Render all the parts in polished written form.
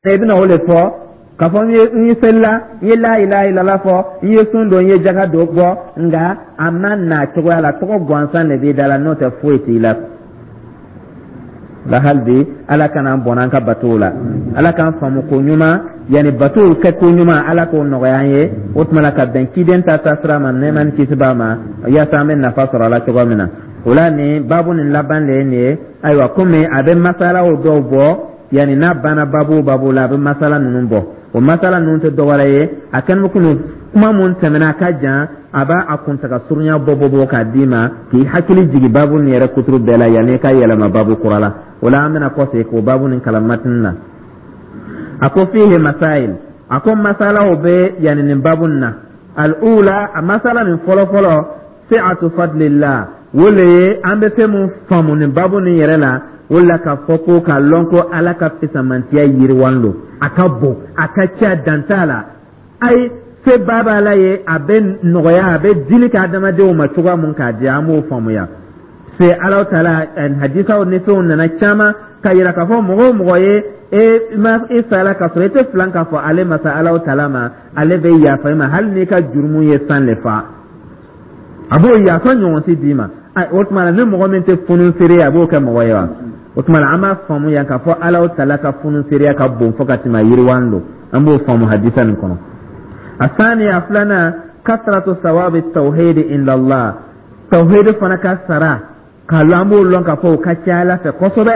I bɛna o de fɔ k'a fɔ n ye selila, n ye la ilaha illallah fɔ, n ye sun don, n ye jaga dɔ bɔ, nka a ma na cogoya la, tɔgɔ gansan de b'i da la, n'o tɛ foyi t'i la. La hali bi, Ala kana an bɔnna an ka batow la. Ala k'an faamu ko ɲuman, yanni batow kɛ ko ɲuman, Ala k'o nɔgɔya an ye. O tuma la, ka bɛn ciden ta taasira ma, nɛɛma ni kisi b'a ma, yaasa an bɛ nafa sɔrɔ a la cogo min na. O la, nin baabu nin laban de ye nin ye. Ayiwa, komi a bɛ masalaw dɔw bɔ, yanni n'a banna baabu o baabu la, a bɛ masala ninnu bɔ. O masala ninnu tɛ dɔwɛrɛ ye, a kɛlen bɛ komi kuma mun tɛmɛna, a ka jan, a b'a a kuntaga surunya bɔ bɔ bɔ k'a d'i ma, k'i hakili jigin baabu nin yɛrɛ kuturu bɛɛ la, yanni i ka yɛlɛma baabu kura la. O la, an bɛna kɔsegin k'o baabu nin kalan matini na. A ko fihi masail, a ko masalaw bɛ yanni nin baabu nin na. Al-ula, a masala nin fɔlɔ fɔlɔ, si'atu fadlillah. O le ye an bɛ fɛn mun faamu nin baabu nin yɛrɛ la, o la k'a fɔ ko k'a lɔn ko Ala ka fisamantiya yiriwan don, a ka bon, a ka ca, dan t'a la. Ayi, se ba b'a la ye, a bɛ nɔgɔya, a bɛ dili kɛ adamadenw ma cogoya mun k'a di, an b'o faamuya. Se Ala taala, hadisaw ni fɛnw nana caman ka yira k'a fɔ mɔgɔ o mɔgɔ ye e ma e sala ka sɔrɔ e tɛ filan k'a fɔ ale masa Ala taala ma, ale bɛ yafa i ma hali n'i ka jurumu ye san le fa, a b'o yafa ɲɔgɔn si d'i ma. O tuma na, ni mɔgɔ min tɛ funuseere ye, a b'o kɛ mɔgɔ ye wa? O tuma na, an b'a faamu yan k'a fɔ Ala taala ka funuseereya ka bon fo ka tɛmɛ yiriwan don. An b'o faamu hadisa nin kɔnɔ. Asani, a filanan, kasratu sawabi tawhidi indallah. Tawhidi fana ka sara k'a lɔn, an b'o lɔn k'a fɔ o ka ca Ala fɛ kosɛbɛ.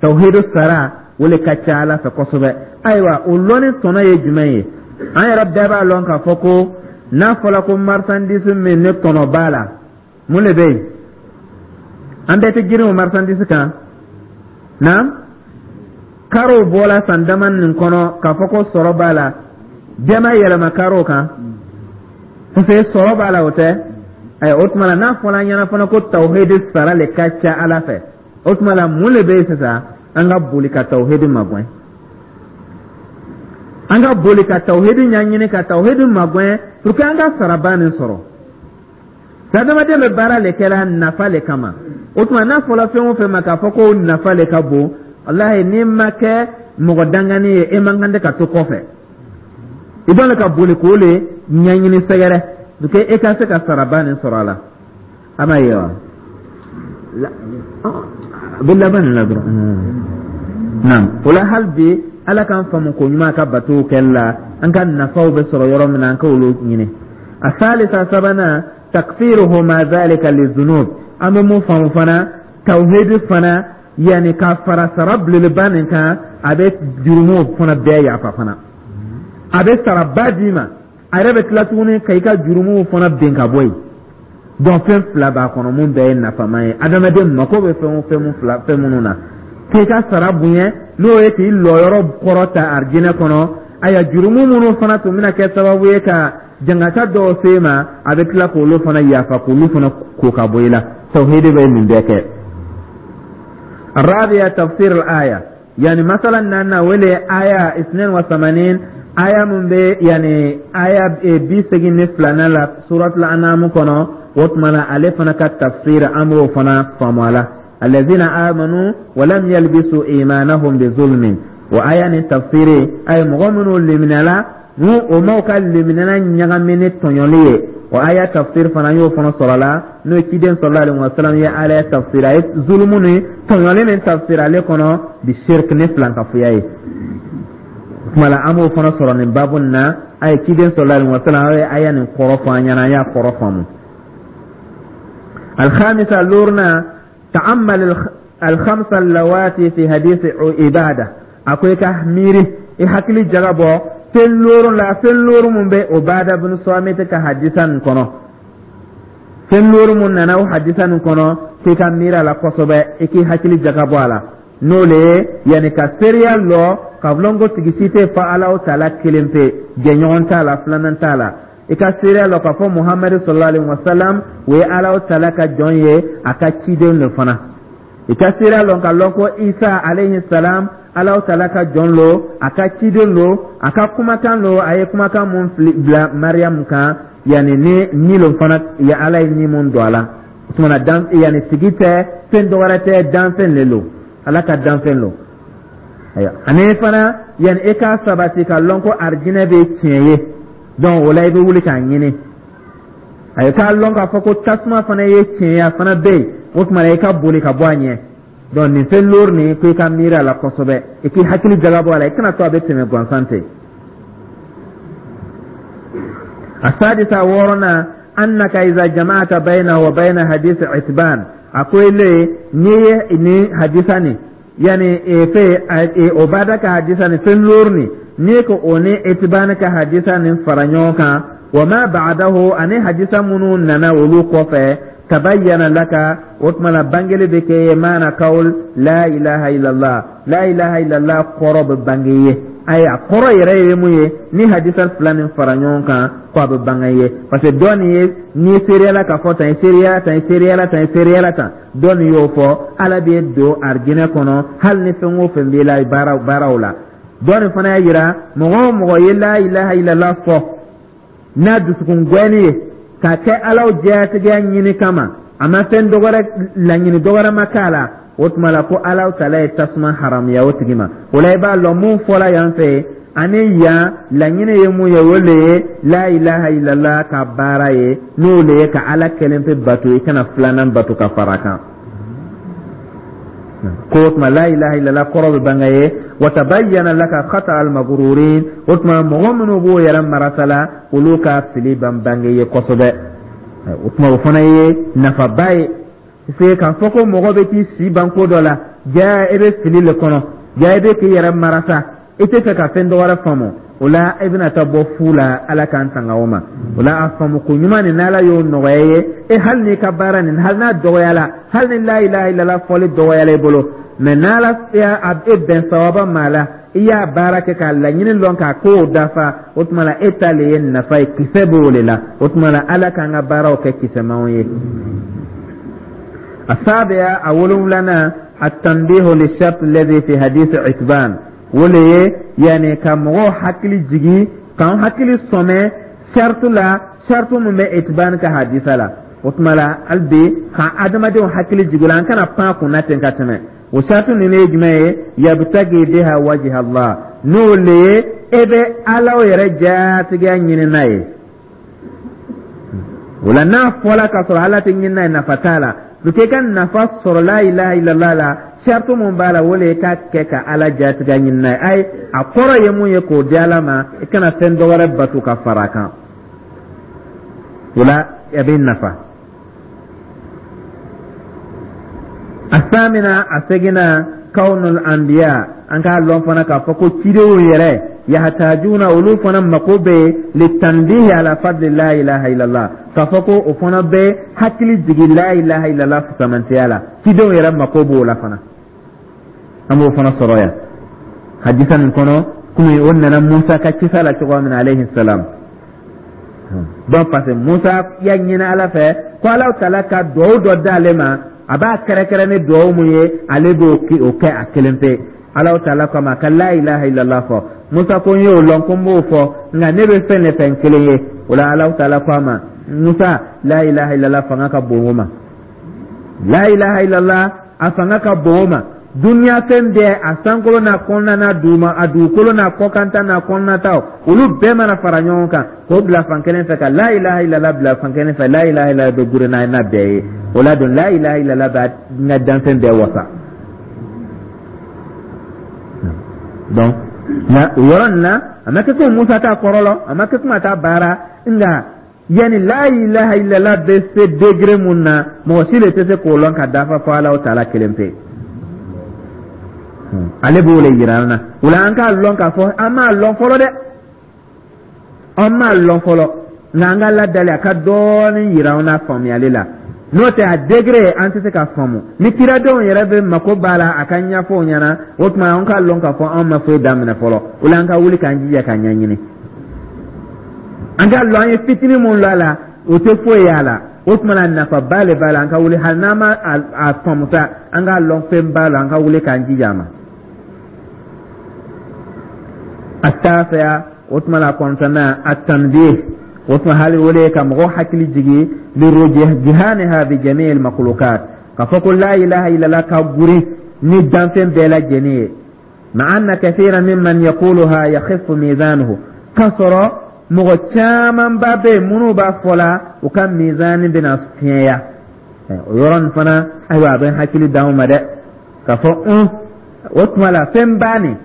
Tawhidu sara, o le ka ca Ala fɛ kosɛbɛ. Ayiwa, o lɔnni tɔnɔ ye jumɛn ye? An yɛrɛ bɛɛ b'a lɔn k'a fɔ ko n'a fɔra ko marchandise min ne tɔnɔ b'a la, mun de bɛ yen? An bɛɛ tɛ girin o marchandise kan na. Karow bɔla san dama nin kɔnɔ k'a fɔ ko sɔrɔ b'a la, bɛɛ ma yɛlɛma karow kan parce que sɔrɔ b'a la, o tɛ. Ayiwa, o tuma la, n'a fɔra an ɲɛna fana ko tawhidi sara le ka ca Ala fɛ, o tuma la, mun de bɛ yen sisan? An ka boli ka tawhidi magɛn, an ka boli ka tawhidi ɲɛɲini, ka tawhidi magɛn pour que an ka saraba nin sɔrɔ. Adamaden bɛ baara le kɛra nafa le kama. O tuma, n'a fɔra fɛn o fɛn ma k'a fɔ ko nafa le ka bon, walahi, n'i ma kɛ mɔgɔ dangani ye, e man kan tɛ ka to kɔfɛ. I b'a la ka boli k'o le ɲɛɲini sɛgɛrɛ pour que e ka se ka saraba nin sɔrɔ a la. A ma ye wa? A bɛ laban nin la dɔrɔn. Naam, o la, hali bi, Ala k'an faamu ko ɲuman ka batow kɛli la, an ka nafaw bɛ sɔrɔ yɔrɔ min na, an k'olu ɲini. A salisa, sabanan, takfiruhu ma zalika lizunub. An bɛ mun faamu fana? Tawhidi fana, yanni ka fara sara belebeleba nin kan, a bɛ jurumuw fana bɛɛ yafa fana. A bɛ saraba d'i ma, a yɛrɛ bɛ tila tuguni ka i ka jurumuw fana ben ka bɔ yen. Donc fɛn fila b'a kɔnɔ mun bɛɛ ye nafama ye. Adamaden mako bɛ fɛn o fɛn mun fila fɛn minnu na, k'i ka sara bonya, n'o ye k'i lɔyɔrɔ kɔrɔ ta arijinɛ kɔnɔ. Ayiwa, jurumu minnu fana tun bɛna kɛ sababu ye ka jangata dɔw se ma, a bɛ tila k'olu fana yafa, k'olu fana ko ka bɔ i la. Tawhidi bɛ nin bɛɛ kɛ. الرابعة، تفسير الآية. يعني مثلا أن ولي آية 82، آية من بي، يعني آية 82 la سورة الأنعام kɔnɔ. O tuma na, ale fana ka tafsir, an b'o fana faamu a la. الذين آمنوا ولم يلبسوا إيمانهم بظلم. O aya ni tafsiri ay mɔgɔ minnu liminala, n'u o m'aw ka liminana ɲagami ni tɔɲɔli ye, o aya tafsir fana y'o fana sɔrɔ la, n'o ye ciden sallallahu alaihi wasallam ye ala tafsir, a ye zulumu ni tɔɲɔli ni tafsir ale kɔnɔ bi shirk, ni filankafoya ye. Kuma la, an b'o fana sɔrɔ nin babu nin na. A ye ciden sallallahu alaihi wasallam, a ye aya nin kɔrɔ fɔ an ɲɛna, an y'a kɔrɔ faamu. الخامسة، لورنا، تأمل الخمسة اللواتي في حديث عبادة. A ko i ka miiri, i hakili jagabɔ fɛn looru la, fɛn looru mun bɛ Ubada bin Samit ka hadisa nin kɔnɔ. Fɛn looru mun nana o hadisa nin kɔnɔ, k'i ka miiri a la kosɛbɛ, i k'i hakili jagabɔ a la. N'o le ye yanni ka seereya lɔ ka lɔn ko tigi si tɛ fa Ala taala kelen pe, jɛɲɔgɔn t'a la, filanan t'a la. I ka seereya lɔ k'a fɔ Muhamadu sallallahu alaihi wa sallam, o ye Ala taala ka jɔn ye, a ka ciden de fana. I ka seereya lɔn ka lɔn ko Isa alayhi salam, Ala taala ka jɔn lo, a ka ciden lo, a ka kumakan lo, a ye kumakan mun bila Mariyamu kan, yanni ni ni lo fana ya, Ala ye ni mun don a la. O tuma na, dan yanni tigi tɛ, fɛn dɔ wɛrɛ tɛ, danfɛn le lo, Ala ka danfɛn lo. Ayiwa, ani fana yanni i k'a sabati ka lɔn ko arijinɛ bɛ tiɲɛ ye, donc o la i bɛ wuli k'a ɲini. Ayi, k'a lɔn k'a fɔ ko tasuma fana ye tiɲɛ ye, a fana bɛ yen, o tuma na i ka boli ka bɔ a ɲɛ. Donc nin fɛn loori nin ko i ka miiri a la kosɛbɛ, i k'i hakili jagabɔ a la, i kana to a bɛ tɛmɛ gansan ten. Asadisa, wɔɔrɔnan, annaka iza jama'ata bayna wa bayna hadith Itban. A ko ile n'i ye nin hadisa nin, yani fɛ Obada ka hadisa nin, fɛn loori nin, n'i ko o ni Itban ka hadisa nin fara ɲɔgɔn kan, wa ma ba'dahu, ani hadisa minnu nana olu kɔfɛ, tabayyana laka, o tuma na bangeli bɛ kɛ ye, maana kawl la ilaha illallah, la ilaha illallah kɔrɔ bɛ bange ye. Ayi, a kɔrɔ yɛrɛ ye mun ye ni hadisa fila nin fara ɲɔgɔn kan, ko a bɛ bange ye, parce que dɔ nin ye n'i seereyala k'a fɔ tan, i seereyala tan, i seereyala tan, i seereyala tan, dɔ nin y'o fɔ Ala b'e don arijinɛ kɔnɔ hali ni fɛn o fɛn b'i la baara baaraw la. Dɔ nin fana y'a yira mɔgɔ o mɔgɔ ye la ilaha illallah fɔ n'a dusukun gɛni ye k'a kɛ Alaw jɛyatigiya ɲini kama, a ma fɛn dɔwɛrɛ laɲini dɔwɛrɛ ma k'a la, o tuma la ko Alaw tala ye tasuma haramuya o tigi ma. O la i b'a lɔn mun fɔla yan fɛ ani yan laɲini ye mun ye, o le ye la ilaha illallah ka baara ye, n'o le ye ka Ala kelen pe bato, i kana filanan bato ka fara kan. Ko o tuma la ilaha illallah kɔrɔ bɛ bange ye. Wa tabayyana laka khata al maghrurin, o tuma mɔgɔ minnu b'o yɛrɛ marasa la, olu ka fili ban bange ye kosɛbɛ. O tuma o fana ye nafaba ye, parce que k'a fɔ ko mɔgɔ bɛ t'i si ban ko dɔ la, ja e bɛ fili le kɔnɔ, ja e bɛ k'i yɛrɛ marasa, i tɛ fɛ ka fɛn dɔ wɛrɛ faamu, o la e bɛna taa bɔ fu la. Ala k'an tanga o ma. O la a faamu ko ɲuman nin, n'Ala y'o nɔgɔya i ye, e hali n'i ka baara nin, hali n'a dɔgɔyala, hali ni la ilaha illallah fɔli dɔgɔyala i bolo, mɛ n'Ala y'a e bɛn sawaba ma la, i y'a baara kɛ k'a laɲini lɔn k'a kow dafa, o tuma la e ta le ye nafa ye, kisɛ b'o le la. O tuma la Ala k'an ka baaraw kɛ kisɛmanw ye. Asabiya, a wolonwulanan, atanbihu lishart alladhi fi hadith Itban, o le ye yanni ka mɔgɔw hakili jigi, k'an hakili sɔmɛ saritu la, saritu min bɛ Itban ka hadisa la. O tuma la hali bi ka adamadenw hakili jigi la, an kana pan kunna ten ka tɛmɛ. O saritu ninnu ye jumɛn ye? Yabtagi biha wajha Allah, n'o le ye e bɛ Ala yɛrɛ jatigiya ɲini n'a ye. O la n'a fɔla k'a sɔrɔ Ala tɛ ɲini n'a ye, nafa t'a la. Pour que i ka nafa sɔrɔ la ilaha illallah la, saritu mun b'a la, o le ye k'a kɛ ka Ala jatigiya ɲini n'a ye. Ayi, a kɔrɔ ye mun ye? K'o di Ala ma, i kana fɛn dɔ wɛrɛ bato ka fara a kan. O la a bɛ nafa. Asamina, a seginna, kawnul anbiya, an k'a lɔn fana k'a fɔ ko cidenw yɛrɛ, yahtajuna, olu fana mako bɛ litanbihi ala fadli la ilaha illallah, k'a fɔ ko o fana bɛ hakili jigin la ilaha illallah fisamantiya la. Cidenw yɛrɛ mako b'o la fana, an b'o fana sɔrɔ yan hadisa nin kɔnɔ, komi o nana Musa ka kisa la cogoya min na, alayhi salam. Donc parce que Musa y'a ɲini Ala fɛ ko Ala taala ka duwawu dɔ d'ale ma, a b'a kɛrɛkɛrɛ ni duwawu mun ye, ale b'o kɛ a kelen pe. Ala taala ko a ma ka la ilaha illallah fɔ. Musa ko n y'o lɔn ko n b'o fɔ, nka ne bɛ fɛn de fɛ n kelen ye. O la Ala taala ko a ma: Musa, la ilaha illallah fanga ka bon o ma, la ilaha illallah a fanga ka bon o ma. Duniya fɛn bɛɛ, a sankolo n'a kɔnɔna n'a duguma, a dugukolo n'a kɔkanta n'a kɔnɔnata, olu bɛɛ mana fara ɲɔgɔn kan k'o bila fan kelen fɛ, ka la ilaha illallah bila fan kelen fɛ, la ilaha illallah bɛ gure n'a bɛɛ ye. O la don la ilaha illallah b'a n ka danfɛn bɛɛ wasa. Donc nka o yɔrɔ nin na, a ma kɛ ko Musa t'a kɔrɔ lɔn, a ma kɛ ko a t'a baara, nka yani la ilaha illallah bɛ se degré mun na, mɔgɔ si de tɛ se k'o lɔn ka dafa fo Ala taala kelen pe. Ale b'o le yira an na. O la an k'a lɔn k'a fɔ an m'a lɔn fɔlɔ dɛ, an m'a lɔn fɔlɔ, nka an ka Ala dali a ka dɔɔnin yira an na faamuyali la, n'o tɛ a degré an tɛ se k'a faamu. Ni kiradenw yɛrɛ bɛ mako b'a la a ka ɲɛfɔ o ɲɛna, o tuma an k'a lɔn k'a fɔ an ma foyi daminɛ fɔlɔ. O la an ka wuli k'an jija k'a ɲɛɲini. An k'a lɔn an ye fitinin mun lɔn a la, o tɛ foyi y'a la. O tuma na nafaba le b'a la. An ka wuli, hali n'an ma a faamu sa, an k'a lɔn fɛn b'a la, an ka wuli k'an jija a ma. Atasiya, o tuma la kɔnɔntɔnnan, atanbih, o tuma hali o le ye ka mɔgɔ hakili jigin lirujihaniha bi jami'il makhlukat, k'a fɔ ko la ilaha illallah ka guri ni danfɛn bɛɛ lajɛlen ye. Ma'a anna kathira mimman yaquluha yakhifu mizanuhu, k'a sɔrɔ mɔgɔ camanba bɛ yen minnu b'a fɔ la, u ka mizani bɛna fiɲɛya. O yɔrɔ nin fana, ayiwa, a bɛ hakili d'anw ma dɛ, k'a fɔ o tuma la fɛnba nin,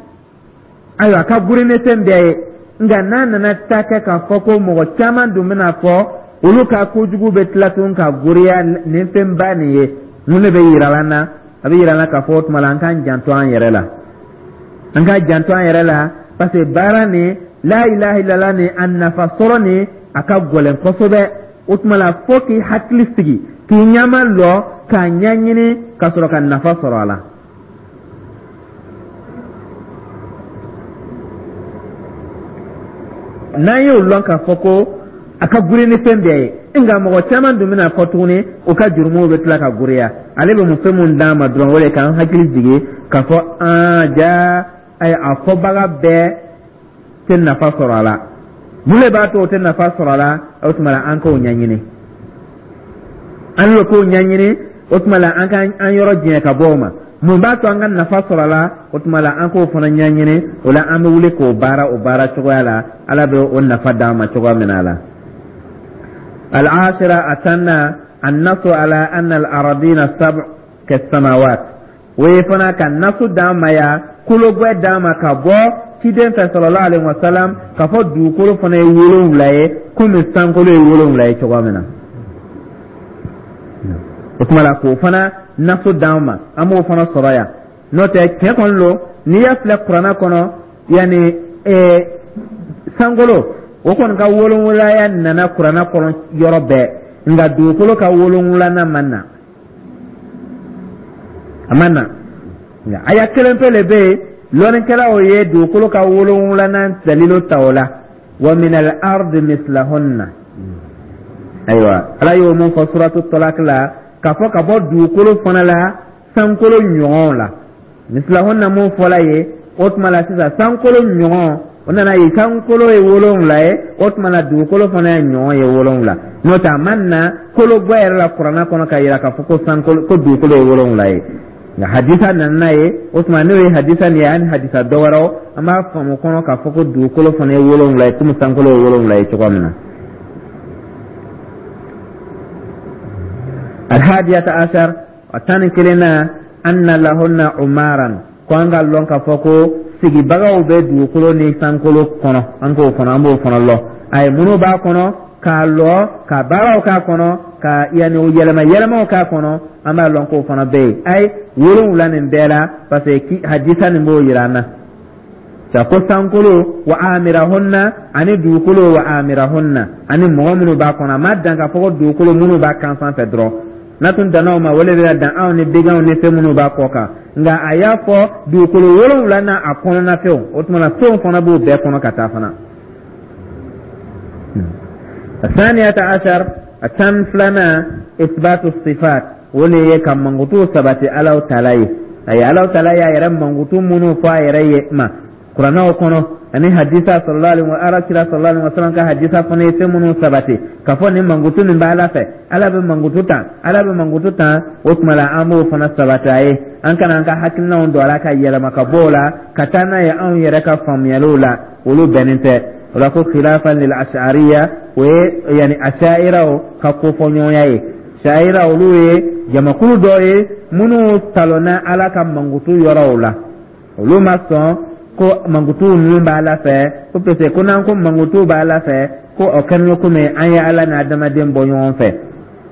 ayiwa, a ka girin ni fɛn bɛɛ ye. Nka n'a nana ta kɛ k'a fɔ ko mɔgɔ caman dun bɛna fɔ olu ka kojugu bɛ tila tun ka goriya nin fɛnba nin ye, mun de bɛ yira an na? A bɛ yira an na k'a fɔ o tuma la an k'an janto an yɛrɛ la, an k'an janto an yɛrɛ la, parce que baara nin, la ilaha illallah nin, a nafa sɔrɔ nin, a ka gɛlɛn kosɛbɛ. O tuma la fo k'i hakili sigi, k'i ɲɛma lɔ, k'a ɲɛɲini ka sɔrɔ ka nafa sɔrɔ a la. N'an y'o lɔn k'a fɔ ko a ka girin ni fɛn bɛɛ ye, nka mɔgɔ caman dun bɛna fɔ tuguni u ka jurumuw bɛ tila ka giriya, ale bɛ mun fɛn mun d'an ma dɔrɔn, o de k'an hakili jigin k'a fɔ an ja, ayi, a fɔbaga bɛɛ tɛ nafa sɔrɔ a la. Mun de b'a to o tɛ nafa sɔrɔ a la? O tuma la an k'o ɲɛɲini, an y'o k'o ɲɛɲini. O tuma la an ka an yɔrɔ janya ka bɔ o ma. Mun b'a to an ka nafa sɔrɔ a la? O tuma la an k'o fana ɲɛɲini. O la an bɛ wuli k'o baara o baara cogoya la, Ala bɛ o nafa d'an ma cogoya min na a la. Al-ashira, a 10nan, annasu ala anna al-aradina sab' kas-samawat. O ye fana ka nasu d'an ma ya, kologwɛ d'an ma ka bɔ ciden fɛ sallallahu alaihi wasallam, k'a fɔ dugukolo fana ye 7 ye komi sankolo ye 7 ye cogoya min na. O tuma la k'o fana nasu d'an ma, an b'o fana sɔrɔ yan. N'o tɛ, tiɲɛ kɔni lo, n'i y'a filɛ kuranna kɔnɔ, yanni sankolo o kɔni ka wolonwulaya nana kuranna kɔnɔ yɔrɔ bɛɛ, nka dugukolo ka wolonwulanan ma na, a ma na. Nka aya kelen pe le bɛ yen, lɔnnikɛlaw ye dugukolo ka wolonwulanan dalilu ta o la: wa min al-ardi mislahunna. Ayiwa, Ala y'o mun fɔ suratu Talak la, k'a fɔ ka bɔ dugukolo fana la sankolo ɲɔgɔn la, mislahunna mun fɔla ye. O tuma la sisan sankolo ɲɔgɔn, o nana ye sankolo ye 7 ye, o tuma la dugukolo fana ye ɲɔgɔn ye 7. N'o tɛ, a ma na kologwɛ yɛrɛ la kuranna kɔnɔ ka yira k'a fɔ ko sankolo, ko dugukolo ye 7 ye. Nka hadisa nana n'a ye. O tuma n'o ye hadisa nin ye ani hadisa dɔ wɛrɛw, an b'a faamu kɔnɔ k'a fɔ ko dugukolo fana ye 7 ye komi sankolo ye 7 ye cogoya min na. Alhadiyata ashar, a 11nan, anna lahunna umaran, ko an ka lɔn k'a fɔ ko sigibagaw bɛ dugukolo ni sankolo kɔnɔ. An k'o fana, an b'o fana lɔn. A ye minnu b'a kɔnɔ k'a lɔ, ka baaraw k'a kɔnɔ, ka yanni o yɛlɛma yɛlɛmaw k'a kɔnɔ, an b'a lɔn k'o fana bɛ yen. Ayi, 7 nin bɛɛ la, parce que hadisa nin b'o yira an na sa ko sankolo wa amirahunna ani dugukolo wa amirahunna ani mɔgɔ minnu b'a kɔnɔ. A ma dan k'a fɔ ko dugukolo minnu b'a kan sanfɛ dɔrɔn. N'a tun danna o ma, o de bɛna dan anw ni baganw ni fɛn minnu b'a kɔ kan. Nka a y'a fɔ dugukolo 7 n'a a kɔnɔna fɛnw. O tuma na fɛnw fana b'o bɛɛ kɔnɔ ka taa fana. Saniyata ashar, a 12nan, isbatu sifat, o de ye ka mankutu sabati Alahu taala ye. Ayi, Alahu taala y'a yɛrɛ mankutu minnu fɔ a yɛrɛ ye ma kuranɛw kɔnɔ ani hadisa sallallahu alaihi wa ala kira sallallahu alaihi wa sallam ka hadisa fana ye fɛn minnu sabati k'a fɔ nin mankutu nin bɛ Ala fɛ, Ala bɛ mankutu tan, Ala bɛ mankutu tan. O tuma la an b'o fana sabati a ye. An kana an ka hakilinaw don a la ka yɛlɛma ka bɔ o la ka taa n'a ye anw yɛrɛ ka faamuyaliw la, olu bɛnnen tɛ o la. Ko khilafan lil ash'ariya, o ye yani asha'iraw ka kofɔɲɔgɔnya ye. Sha'ira, olu ye jamakulu dɔ ye minnu talonna Ala ka mankutu yɔrɔw la. Olu ma sɔn ko mankutu ninnu b'a la fɛ, ko parce que ko n'an ko mankutu b'a la fɛ, ko o kɛlen komi an ye Ala ni adamaden bɔ ɲɔgɔn fɛ.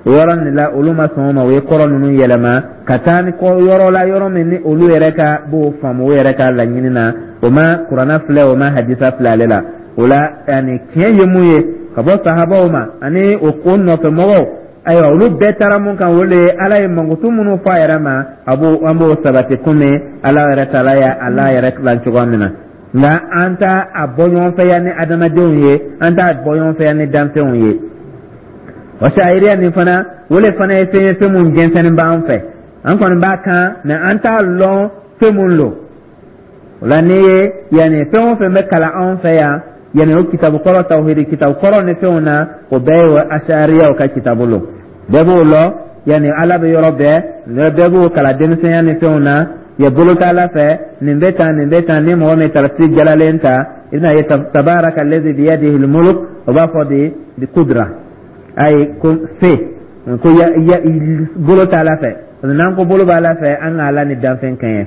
O yɔrɔ nin la, olu ma sɔn o ma. O ye kɔrɔ ninnu yɛlɛma ka taa ni yɔrɔ la, yɔrɔ min ni olu yɛrɛ ka b'o faamu o yɛrɛ ka laɲini na. O ma kuranna filɛ, o ma hadisa filɛ ale la. O la yani tiɲɛ ye mun ye ka bɔ sahabaw ma ani o ko nɔfɛ mɔgɔw, ayiwa, olu bɛɛ taara mun kan, o de ye Ala ye mankutu minnu fɔ a yɛrɛ ma, a b'o, an b'o sabati komi Ala yɛrɛ taala ye Ala yɛrɛ tilan cogoya min na. Nka an t'a a bɔ ɲɔgɔn fɛ yan ni adamadenw ye, an t'a bɔ ɲɔgɔn fɛ yan ni danfɛnw ye. O sahiriya nin fana, o le fana ye fɛn ye, fɛn mun jɛnsɛnnin b'an fɛ. An kɔni b'a kan, mɛ an t'a lɔn fɛn mun lo. O la n'i ye yanni fɛn o fɛn bɛ kalan anw fɛ yan, yanni o kitabu kɔrɔ, tawhidi kitabu kɔrɔ ni fɛnw na, o bɛɛ ye ashariyaw ka kitabu lo. Bɛɛ b'o lɔ, yanni Ala bɛ yɔrɔ bɛɛ, bɛɛ b'o kalan denmisɛnya ni fɛnw na. Ye bolo t'Ala fɛ, nin bɛ tan, nin bɛ tan. Ni mɔgɔ min tafsir jalalen ta, i bɛna ye tabaraka allazi biyadihi almulk, o b'a fɔ de bi kudra, ayi, ko se ko ya, ya bolo t'Ala fɛ. Parce que n'an ko bolo b'Ala fɛ, an ka Ala ni danfɛn kɛɲɛ.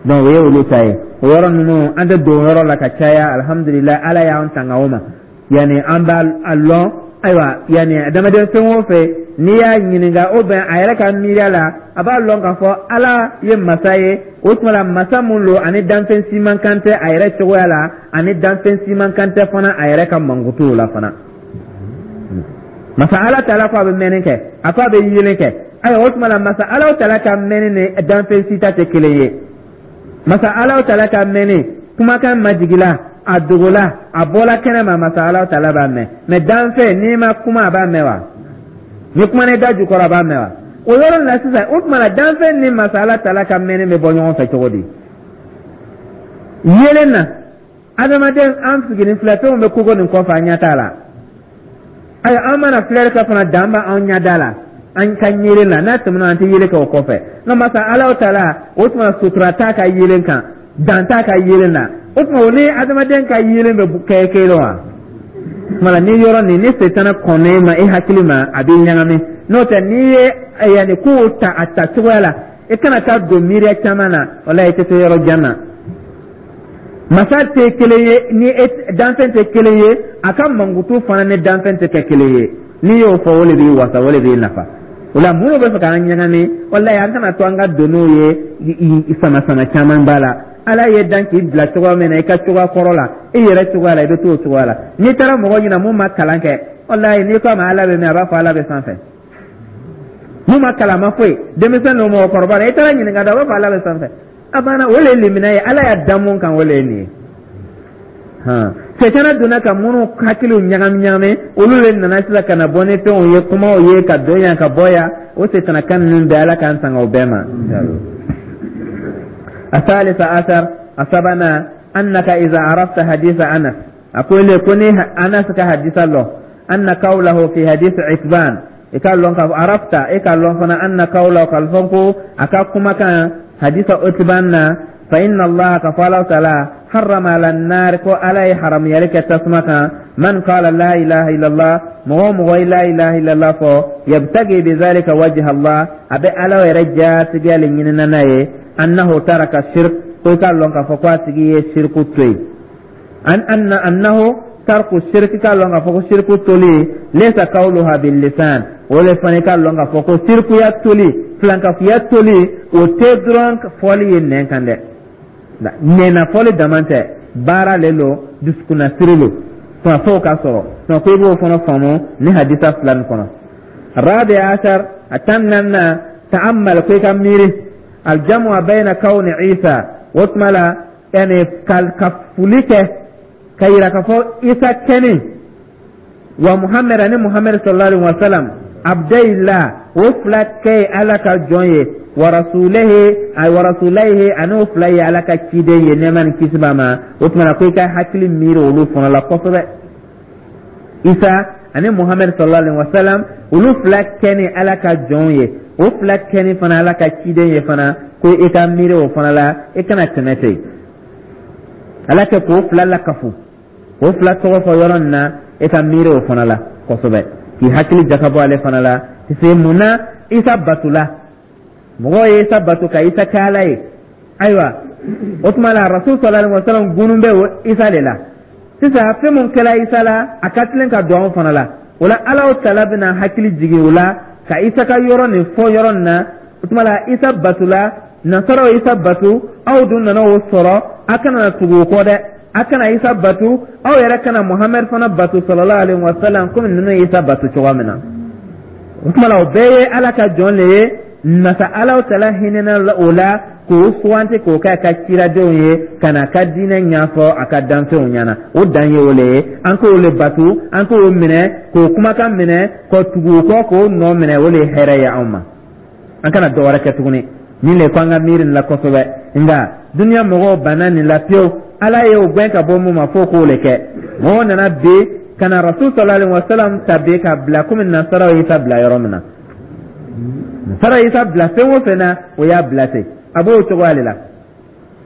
Donc o ye olu ta ye. O yɔrɔ ninnu, an tɛ don yɔrɔ la ka caya. Alhamdulilayi, Ala y'an tanga o ma. Yani an b'a a lɔn. Ayiwa, yani adamaden fɛn o fɛn, n'i y'a ɲininka o bɛn a yɛrɛ ka miiriya la, a b'a lɔn k'a fɔ Ala ye masa ye. O tuma la, masa mun lo, ani danfɛn si man kan tɛ a yɛrɛ cogoya la, ani danfɛn si man kan tɛ fana a yɛrɛ ka mankutuw la fana. Masa Ala taala ko a bɛ mɛnni kɛ, a ko a bɛ yelen kɛ. Ayiwa, o tuma la, masa Ala taala ka mɛnni ni danfɛn si ta tɛ kelen ye. Masa Ala taala ka mɛnni, kumakan majigila, a dogola, a bɔla kɛnɛ ma, masa Ala taala b'a mɛn. Mɛ danfɛn, n'i ma kuma, a b'a mɛn wa? Ni kuma ne da jukɔrɔ, a b'a mɛn wa? O yɔrɔ la sisan, o tuma la, danfɛn ni masa Ala taala ka mɛnni bɛ bɔ ɲɔgɔn fɛ cogo di? Yelen na, adamaden an sigilen filɛ, fɛnw bɛ kogo nin kɔfɛ, an ɲɛ t'a la. Ayiwa, an mana filɛli kɛ fana, dan b'an ɲɛda la, an ka yelen na. N'a tɛmɛna, an tɛ yelen kɛ o kɔfɛ. Nka masa Ala taala, o tuma, sutura t'a ka yelen kan, dan t'a ka yelen na. O tuma, o ni adamaden ka yelen bɛ kɛ kelen wa? Tuma ni yɔrɔ nin ni setana kɔnnen ma e hakili ma, a b'i ɲagami. N'o tɛ, n'i ye yanni kow ta a ta cogoya la, i kana taa don miiriya caman na, walayi, i tɛ se yɔrɔ jan na. Masa tɛ kelen ye ni danfɛn tɛ kelen ye, a ka mankutu fana ni danfɛn tɛ kɛ kelen ye. N'i y'o fɔ, o de b'i wasa, o de b'i nafa. O la, minnu bɛ fɛ k'an ɲagami, walayi, an kana to an ka don n'o ye. Sama sama caman b'a la. Ala ye dan k'i bila cogoya min na, i ka cogoya kɔrɔ la, i yɛrɛ cogoya la, i bɛ t'o cogoya la. N'i taara mɔgɔ ɲina mun ma kalan kɛ, walayi, n'i ko a ma Ala bɛ min, a b'a fɔ Ala bɛ sanfɛ. Mun ma kalan ma foyi, denmisɛn don, mɔgɔkɔrɔba la, i taara ɲininka dɔn, a b'a fɔ Ala bɛ sanfɛ. A banna. O le ye limina ye. Ala y'a dan mun kan, o le ye nin ye. Sɛtana donna ka minnu hakiliw ɲagami ɲagami, olu de nana sisan ka na bɔ ni fɛnw ye, kumaw ye, ka don yan, ka bɔ yan. O sɛtana kan ninnu bɛɛ, Ala k'an tanga o bɛɛ ma. الثالث عشر، السبنا، أنك إذا عرفت حديث أنس، أقول كوني أنس كحديث الله، أن قوله في حديث عتبان، i ka lɔn ka arafta, i ka lɔn fana, anna kawla kalfɔn ko a ka kumakan hadisa Utban na, fa inna Allah, ka fɔ Ala taala, harrama ala nar, ko Ala ye haramuyali kɛ tasuma kan, man qala la ilaha illallah, mɔgɔ o mɔgɔ ye la ilaha illallah fɔ, yabtagi bi zalika wajha Allah, a bɛ Ala yɛrɛ jatigiya le ɲinina n'a ye, annahu taraka shirk, ko i ka lɔn k'a fɔ ko a tigi ye shirku to yen. An anna annahu tarku shirki, k'a lɔn k'a fɔ ko shirku toli, laysa qawluha bil lisan. O le fana, k'a lɔn k'a fɔ ko shirkuya toli, filankafuya toli, o tɛ dɔrɔn fɔli ye nɛn kan dɛ. Nɛnna fɔli dama tɛ, baara le lo, dusukunnasiri lo, tuma f'o ka sɔrɔ. Tuma ko i b'o fana faamu ni hadisa fila nin kɔnɔ. Rabi ashar, a 14nan, ta'ammal, ko i ka miiri, aljamu bayna kawni Isa, o tuma la, yani ka fuli kɛ ka yira k'a fɔ Isa kɛni wa Muhammed, ani Muhammed sallallahu alaihi wa sallam, abdayillah, o fila kɛ ye Ala ka jɔn ye, wa rasulihi, wa rasulihi, ani o fila ye Ala ka ciden ye, nɛɛma ni kisi b'a ma. O tuma na, ko i ka hakili miiri olu fana la kosɛbɛ. Isa ani Muhammed sallallahu alaihi wa sallam, olu fila kɛ ni Ala ka jɔn ye, o fila kɛ ni fana Ala ka ciden ye fana, ko i ka miiri o fana la, i kana tɛmɛ ten. Ala kɛ k'o fila lakafu, k'o fila tɔgɔ fɔ yɔrɔ nin na, e ka miiri o fana la kosɛbɛ, k'i hakili jakabɔ ale fana la. Parce que mun na Isa batula? Mɔgɔw ye Isa bato ka Isa kɛ Ala ye. Ayiwa, o tuma la, Rasul sallallahu alaihi wasallam gunun bɛ o Isa de la. Sisan, fɛn mun kɛra Isa la, a ka tilen ka don anw fana la. O la, Ala tala bɛna hakili jigin o la ka Isa ka yɔrɔ nin fɔ yɔrɔ nin na. O tuma la, Isa batula, nasaraw Isa batu, aw dun nana o sɔrɔ, a kana na tugu o kɔ dɛ. A kana Isa batu, aw yɛrɛ kana Muhamɛd fana batu sallallahu alaihi wa sallam komi ninnu ye Isa batu cogoya min na. O tuma la, o bɛɛ ye Ala ka jɔn le ye. Masa Ala tala hinɛna o la k'o suganti k'o kɛ a ka ciradenw ye ka na a ka diinɛ ɲɛfɔ a ka danfɛnw ɲɛna. O dan ye o le ye. An k'o le batu, an k'o minɛ, k'o kumakan minɛ, ka tugu o kɔ, k'o nɔ minɛ, o le ye hɛrɛ ye anw ma. An kana dɔ wɛrɛ kɛ tuguni. Nin le ko an ka miiri nin la kosɛbɛ. Nka duniya mɔgɔw banna nin la pewu. Ala ye o gɛn ka bɔ mun ma, f'o k'o le kɛ. Mɔgɔw nana bi ka na Rasul sallallahu alaihi wasallam ta bi ka bila komi nasaraw y'i ta bila yɔrɔ min na. Nasaraw y'i ta bila fɛn o fɛn na, o y'a bila ten, a b'o cogoya de la.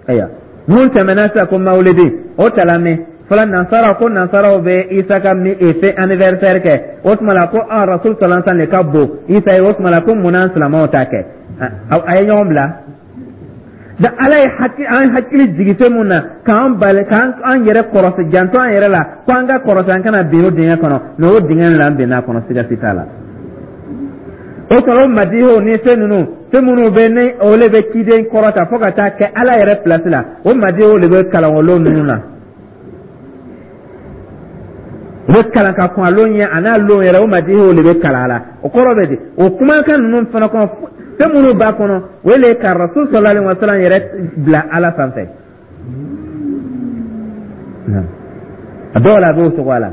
Ayiwa, mun tɛmɛna sisan ko mawulidi, o tala min fɔlɔ, nansaraw ko nansaraw bɛ Isa ka mi e fɛn anniversaire kɛ. O tuma la ko ah, Rasul sallallahu alaihi wasallam de ka bon Isa ye. O tuma la ko mun na silamɛw t'a kɛ? A ye ɲɔgɔn bila da. Ala ye hakili an hakili jigi fɛn mun na k'an bali k'an an yɛrɛ kɔrɔsi, janto an yɛrɛ la ko an ka kɔrɔsi, an kana bin o dingɛ kɔnɔ. Mais o dingɛ la, an binna a kɔnɔ, siga si t'a la. O sɔrɔ madiho ni fɛn ninnu, fɛn minnu bɛ ni o le bɛ ciden kɔrɔta fo ka taa kɛ Ala yɛrɛ pilasi la, o madiho de bɛ kalan o lon ninnu na. U bɛ kalan ka kɔn a lon ɲɛ, a n'a lon yɛrɛ, o madiho de bɛ kalan a la. O kɔrɔ bɛ di? O kumakan ninnu fana kɔnɔ, fɛn minnu b'a kɔnɔ, o le ka Rasul sallallahu alaihi wa sallam yɛrɛ bila Ala sanfɛ. A dɔw la, a b'o cogoya la.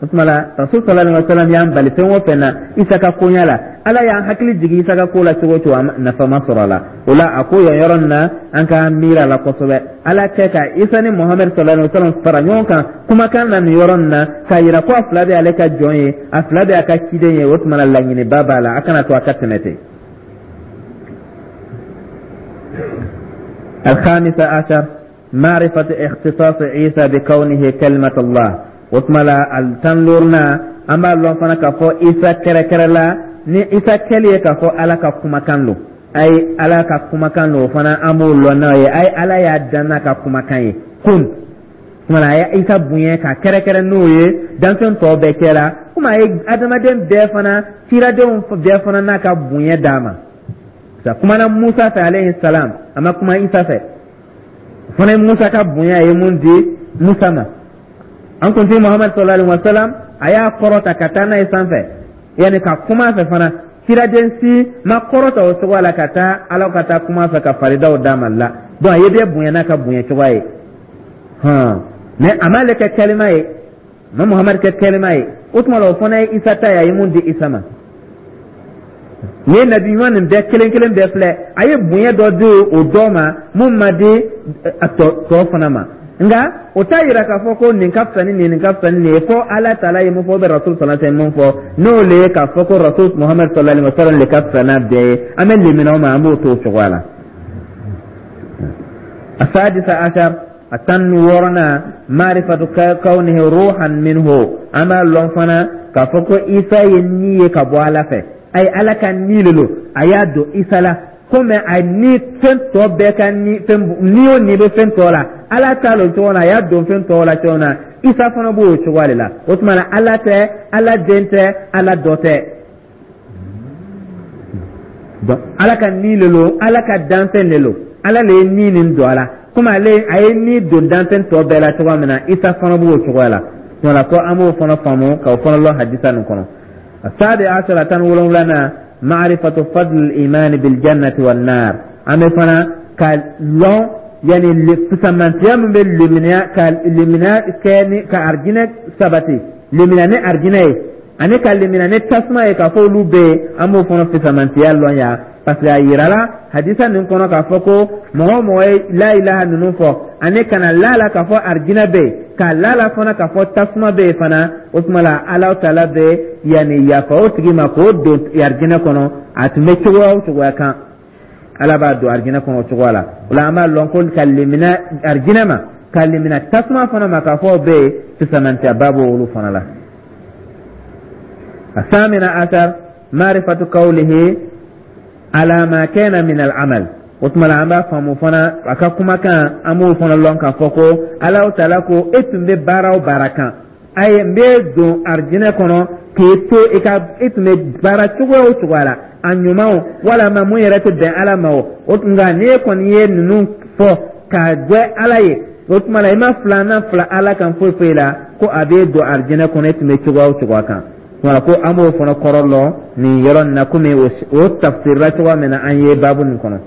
O tuma la, Rasul sallallahu alaihi wa sallam y'an bali fɛn o fɛn na Isa ka koɲa la, Ala y'an hakili jigin Isa ka ko la cogo o cogo, nafa ma sɔrɔ a la. O la, a ko yan yɔrɔ nin na, an k'an miiri a la kosɛbɛ. Ala kɛ ka Isa ni Muhamadu sallallahu alaihi wa sallam fara ɲɔgɔn kan kumakan na nin yɔrɔ nin na, k'a yira ko a fila bɛ ale ka jɔn ye, a fila bɛ a ka ciden ye. O tuma la, laɲiniba b'a la, a kana to a ka tɛmɛ ten. الخامسة عشر معرفة اختصاص عيسى بكونه كلمة الله. O tuma la, al 15nan, an b'a lɔn fana k'a fɔ Isa kɛrɛkɛrɛ la ni Isa kɛli ye k'a fɔ Ala ka kumakan don. Ayi, Ala ka kumakan don, o fana an b'o lɔn n'a ye. Ayi, Ala y'a dan n'a ka kumakan ye kun tuma la, a ye Isa bonya ka kɛrɛkɛrɛ n'o ye danfɛn tɔw bɛɛ cɛ la, komi a ye adamaden bɛɛ fana, ciradenw bɛɛ fana n'a ka bonya d'a ma. A kumana Musa fɛ alayhi salam, a ma kuma Isa fɛ. O fana ye Musa ka bonya ye mun di Musa ma. An kuntigi Muhamadu sallallahu alaihi wa sallam, a y'a kɔrɔta ka taa n'a ye sanfɛ, yanni ka kuma a fɛ fana. Ciraden si ma kɔrɔta o cogoya la ka taa Ala ka taa kuma a fɛ ka faridaw d'a ma la. Donc a ye bɛɛ bonya n'a ka bonya cogoya ye hɔn, mais a m'ale kɛ kalima ye, a ma Muhamadu kɛ kalima ye. O tuma la, o fana ye Isa ta ye, a ye mun di Isa ma. Nin ye nabi ɲuman nin bɛɛ kelen kelen bɛɛ filɛ, a ye bonya dɔ di o dɔ ma mun ma di a tɔ fana ma. Nka o t'a yira k'a fɔ ko nin ka fisa ni nin, nin ka fisa ni nin ye, fo Ala taala ye mun fɔ, bɛ Rasul sallallahu alaihi wasallam mun fɔ, n'o le ye k'a fɔ ko Rasul Muhamad sallallahu alaihi wasallam le ka fisa n'a bɛɛ ye. An bɛ lemina o ma, an b'o to o cogoya la. السادسة عشر a 16nan maarifatu kawnihi ruhan minhu. An b'a lɔn fana k'a fɔ ko Isa ye ni ye ka bɔ Ala fɛ. Ayi, Ala ka ni le lo, a y'a don Isa la, komi a ni fɛn tɔ bɛɛ ka ni fɛn ni o ni bɛ fɛn tɔ la, Ala ta lo cogo la, a y'a don fɛn tɔ la cogo min na, Isa fana b'o cogoya de la. O tuma na, Ala tɛ, Ala den tɛ, Ala dɔ tɛ. Donc Ala ka ni le lo, Ala ka danfɛn le lo, Ala le ye ni nin don a la, komi ale a ye ni don danfɛn tɔ bɛɛ la cogoya min na, Isa fana b'o cogoya la. Wala ko an b'o fana faamu k'o fana lɔn hadisa nin kɔnɔ. السابع عشر 17nan معرفة فضل الإيمان بالجنة والنار. An bɛ fana ka lɔn yani fisamantiya min bɛ limaniya ka limaniya kɛ ni ka arijinɛ sabati, limaniya ni arijinɛ ye ani ka limaniya ni tasuma ye, k'a fɔ olu bɛ yen, an b'o fana fisamantiya lɔn yan, parce que a yirala hadisa nin kɔnɔ k'a fɔ ko mɔgɔ o mɔgɔ ye la ilaha ninnu fɔ ani ka na la la k'a fɔ arijinɛ bɛ yen, ka la la fana k'a fɔ tasuma bɛ yen fana, o tuma la Ala taala bɛ yanni yafa o tigi ma k'o don arijinɛ kɔnɔ. A tun bɛ cogoya o cogoya kan, Ala b'a don arijinɛ kɔnɔ o cogoya la. O la, an b'a lɔn ko ka limina arijinɛ ma, ka limina tasuma fana ma, k'a fɔ o bɛ yen, fisamantiyaba b'olu fana la. الثامنة عشر معرفة قوله على ما كان من العمل. O tuma la, an b'a faamu fana a ka kumakan, an b'o fana lɔn k'a fɔ ko Alahu taala ko e tun bɛ baara o baara kan, ayi, n bɛ don arijinɛ kɔnɔ k'e to i ka e tun bɛ baara cogoya o cogoya la, a ɲuman o walama mun yɛrɛ tɛ bɛn Ala ma o. O tun nka n'e kɔni ye ninnu fɔ k'a jɛ Ala ye, o tuma la i ma filanan fila Ala kan foyi foyi la, ko a b'e don arijinɛ kɔnɔ e tun bɛ cogoya o cogoya kan. Wala ko an b'o fana kɔrɔ lɔn nin yɔrɔ nin na, komi o tafsirila cogoya min na an ye baabu nin kɔnɔ.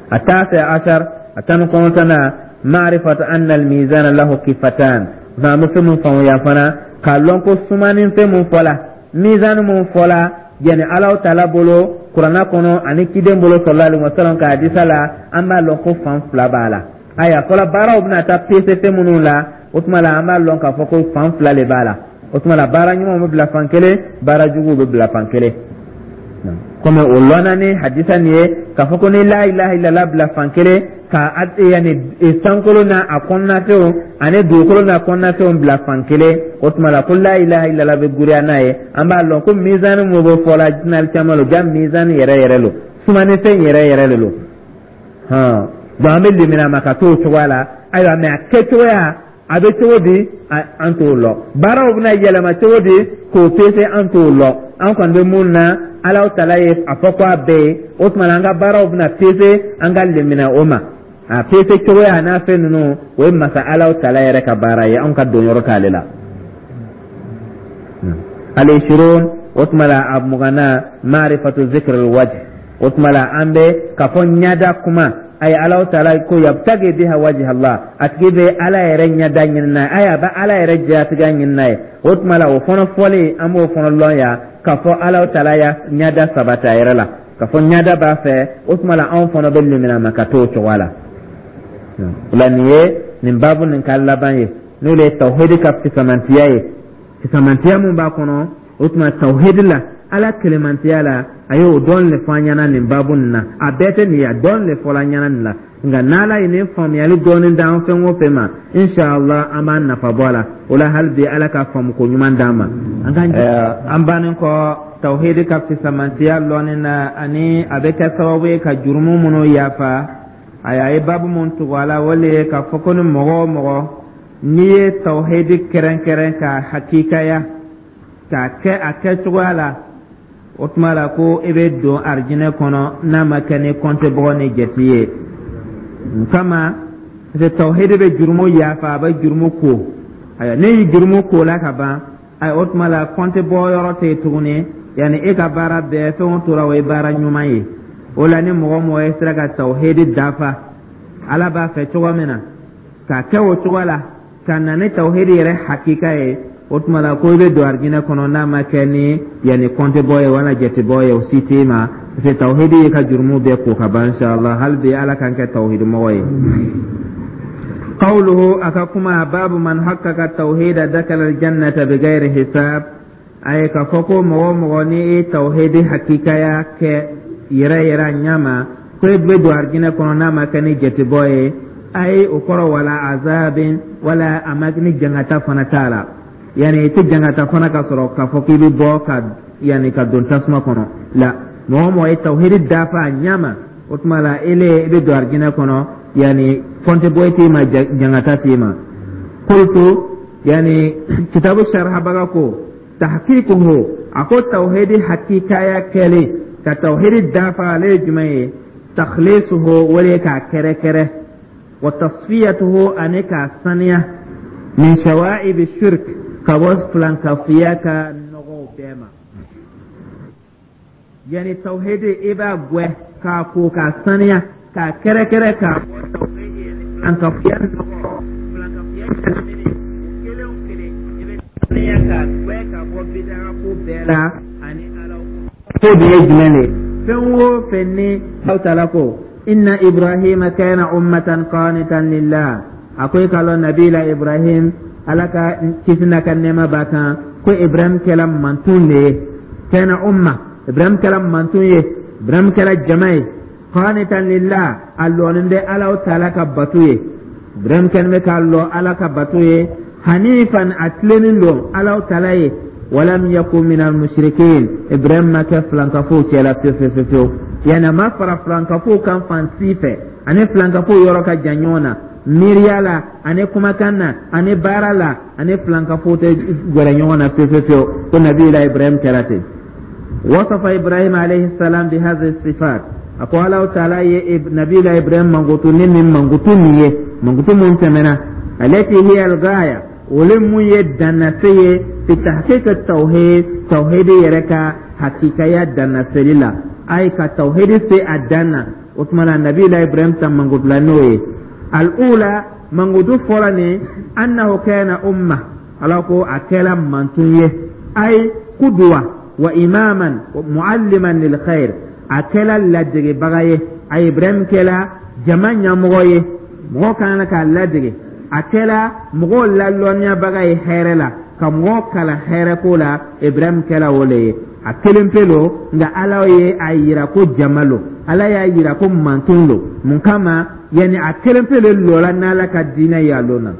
التاسع عشر a 19nan معرفة أن الميزان له كفتان. An bɛ fɛn mun faamuya fana k'a lɔn ko sumanin fɛn mun fɔla, mizani mun fɔla, yani Alahu taala bolo kuranna kɔnɔ ani ciden bolo sallallahu alaihi wasallam ka hadisa la, an b'a lɔn ko fan fila b'a la. Ayiwa, fɔlɔ baaraw bɛna taa pese fɛn minnu la, o tuma la an b'a lɔn k'a fɔ ko fan fila de b'a la. O tuma la, baara ɲumanw bɛ bila fan kelen, baara juguw bɛ bila fan kelen, komi o lɔnna ni hadisa nin ye k'a fɔ ko ni la ilaha illallah bila fan kelen. Ka yani sankolo n'a a kɔnɔnafɛnw ani dugukolo n'a kɔnɔnafɛnw bila fan kelen, o tuma la ko la ilaha illallah bɛ guriya n'a ye. An b'a lɔn ko mizani mun bɛ fɔla diinɛ caman lo, ja mizani yɛrɛ yɛrɛ lo, sumanifɛn yɛrɛ yɛrɛ de lo. Hɔn, donc an bɛ limina ma ka t'o cogoya la. Ayiwa, mais a kɛcogoya a bɛ cogo di, an t'o lɔn. Baaraw bɛna yɛlɛma cogo di k'o pese, an t'o lɔn. An kɔni bɛ mun na, Alahu taala ye a fɔ ko a bɛɛ ye. O tuma na, an ka baaraw bɛna pese, an ka limina o ma. A pese cogoya n'a fɛn ninnu, o ye masa Alahu taala yɛrɛ ka baara ye, anw ka don yɔrɔ t'ale la. Al-ishirun, o tuma la a 20nan, maarifatu zikr al-wajh. O tuma la an bɛ k'a fɔ ɲada kuma. Ayi, Alahu taala ko yabtagi biha wajh Allah, a tigi bɛ Ala yɛrɛ ɲada ɲini n'a ye. Ayi, a bɛ Ala yɛrɛ jatigɛ ɲini n'a ye. O tuma la, o fana fɔlen, an b'o fana lɔn yan k'a fɔ Alahu taala ya ɲada sabati a yɛrɛ la, k'a fɔ ɲada b'a fɛ. O tuma la, anw fana bɛ limina ma ka t'o cogoya la. O la, nin ye nin baabu nin ka laban ye, n'o de ye tawhidi ka fisamantiya ye, fisamantiya mun b'a kɔnɔ. O tuma tawhidi la, Ala kelemantiya la, a ye o dɔn le fɔ an ɲɛna nin baabu nin na. A bɛɛ tɛ nin ye, a dɔn le fɔla an ɲɛna nin la. Nka n'Ala ye nin faamuyali dɔɔnin d'an fɛn o fɛn ma, inshallah an b'an nafa bɔ a la. O la, hali bi Ala ka faamuko ɲuman d'an ma. An ka an bannen kɔ tawhidi ka fisamantiya lɔnni na, ani a bɛ kɛ sababu ye ka jurumu minnu yafa, ayi, a ye baabu mun tugu a la, o le ye k'a fɔ ko ni mɔgɔ o mɔgɔ n'i ye tawhidi kɛrɛnkɛrɛn k'a hakikaya, k'a kɛ a kɛcogoya la, o tuma la ko i bɛ don arijinɛ kɔnɔ n'a ma kɛ ni kɔntebɔgɔ ni jate ye kama, parce que tawhidi bɛ jurumu yafa, a bɛ jurumu ko. Ayiwa, ne y'i jurumu ko la ka ban, ayi, o tuma la kɔntebɔ yɔrɔ tɛ yen tuguni. Yanni e ka baara bɛɛ, fɛn o tora, o ye baara ɲuman ye. O la, ni mɔgɔ mɔgɔ ye sera ka tawhidi dafa Ala b'a fɛ cogo min na, k'a kɛ o cogo la, ka na ni tawhidi yɛrɛ hakika ye, o tuma la ko i bɛ don arijinɛ kɔnɔ n'a ma kɛ ni yanni kɔntebɔ ye wala jatebɔ ye, o si t'i ma, parce que tawhidi y'i ka jurumu bɛɛ ko ka ban. Inshallah, hali bi Ala k'an kɛ tawhidi mɔgɔ ye. Qawluhu, a ka kuma, babu man haqqaqa tawhida dakala aljannata bighairi hisab. A ye k'a fɔ ko mɔgɔ o mɔgɔ ni e tawhidi hakikaya kɛ yɛrɛ yɛrɛ a ɲɛ ma, ko e bɛ don arijinɛ kɔnɔ n'a ma kɛ ni jatebɔ ye. Ayi, o kɔrɔ wala azabin, wala a ma ni jangata fana t'a la, yani i tɛ jangata fana ka sɔrɔ k'a fɔ k'i bɛ bɔ ka yani ka don tasuma kɔnɔ la. Mɔgɔ o mɔgɔ ye tawhidi dafa a ɲɛ ma, o tuma la ele i bɛ don arijinɛ kɔnɔ, yani kɔntebɔ t'i ma, jangata t'i ma. Qultu, yani kitabu sharhabaga ko tahqiquhu, a ko tawhidi hakikaya kɛlen, ka tawhidi dafa, ale ye jumɛn ye? Takhlisuhu, o de ye k'a kɛrɛkɛrɛ, wa tasfiyatuhu, ani k'a saniya, min shawaibi shirk, ka bɔ filankafiya ka nɔgɔw bɛɛ ma. Yani tawhidi, i b'a gwɛ k'a ko k'a saniya, k'a kɛrɛkɛrɛ k'a bɔ tawhidi filankafiya nɔgɔ, filankafiya ɲagamini, o kelen o kelen, i bɛ saniya k'a gwɛ ka bɔ bidaa ko bɛɛ la. Ani Ala ko de ye jumɛn de ye? Fɛn o fɛn ni Alahu taala ko inna Ibrahima kana ummatan qanitan lillah, a ko i k'a lɔn nabila Ibrahim, Ala ka kisi n'a ka nɛɛma b'a kan, ko Ibrahim kɛla mantun de ye. Kana umma, Ibrahim kɛla mantun ye, Ibrahim kɛla jama ye. Qanitan lillah, a lɔnin bɛ Alahu taala ka bato ye. Ibrahim kɛlen bɛ k'a lɔ Ala ka bato ye. Hanifan, a tilennen don Alahu taala ye. Walam yakun minal mushrikin, Ibrahim ma kɛ filankafow cɛla fewu fewu fewu, yani a ma fara filankafow kan fan si fɛ. Ani filankafow yɔrɔ ka jan ɲɔgɔn na miiriya la, ani kumakan na, ani baara la, ani filankafow tɛ gɛrɛ ɲɔgɔn na fewu fewu fewu. Ko nabila Ibrahim kɛra ten. Wasafa Ibrahim alayhi salam bi hadhihi sifat, a ko Alahu taala ye nabila Ibrahim mankutu ni nin mankutu nin ye, mankutu mun tɛmɛna, alati hiya al-gaya, o mun ye dannase ye, fi tahqiq tawhid, tawhid yɛrɛ ka hakikaya dannaseli la. Ay, ka tawhid se a dan na. O tuma na, nabila Ibrahim ta mankutula n'o ye. Al-ula, mankutu fɔlɔ nin, annahu kana umma, Ala ko a kɛla mantun ye, ay qudwa wa imaman wa mualliman lil khair, a kɛla ladegebaga ye. A Ibrahim kɛla jama ɲɛmɔgɔ ye, mɔgɔ kan k'a ladege. A kɛla mɔgɔw lalɔnniyabaga ye hɛrɛ la, ka mɔgɔw kalan hɛrɛ ko la. Ibrahim kɛla o le ye. A kelen pe lo, nka Ala ye a yira ko jama lo, Ala y'a yira ko mantɔn lo. Mun kama? Yani a kelen pe le lɔla n'Ala ka diinɛ ye. A lon na,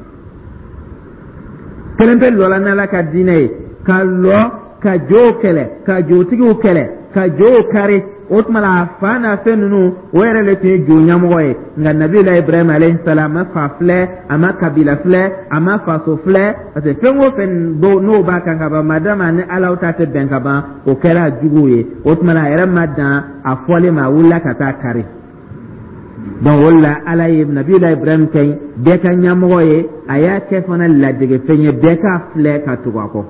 kelen pe lɔla n'Ala ka diinɛ ye, ka lɔ ka jow kɛlɛ, ka jotigiw kɛlɛ, ka jow kari. O tuma la, a fa n'a fɛn ninnu, o yɛrɛ de tun ye jo ɲɛmɔgɔ ye. Nka Nabila Ibrahim alayhi salam a ma fa filɛ, a ma kabila filɛ, a ma faso filɛ, parce que fɛn o fɛn n'o b'a kan ka ban, madama ni Alaw ta tɛ bɛn ka ban, o kɛra juguw ye. O tuma la, a yɛrɛ ma dan a fɔlen ma, a wulila ka taa kari. Donc o la, Ala ye Nabila Ibrahim kɛ bɛɛ ka ɲɛmɔgɔ ye, a y'a kɛ fana ladegefɛn ye, bɛɛ k'a filɛ ka tugu a kɔ.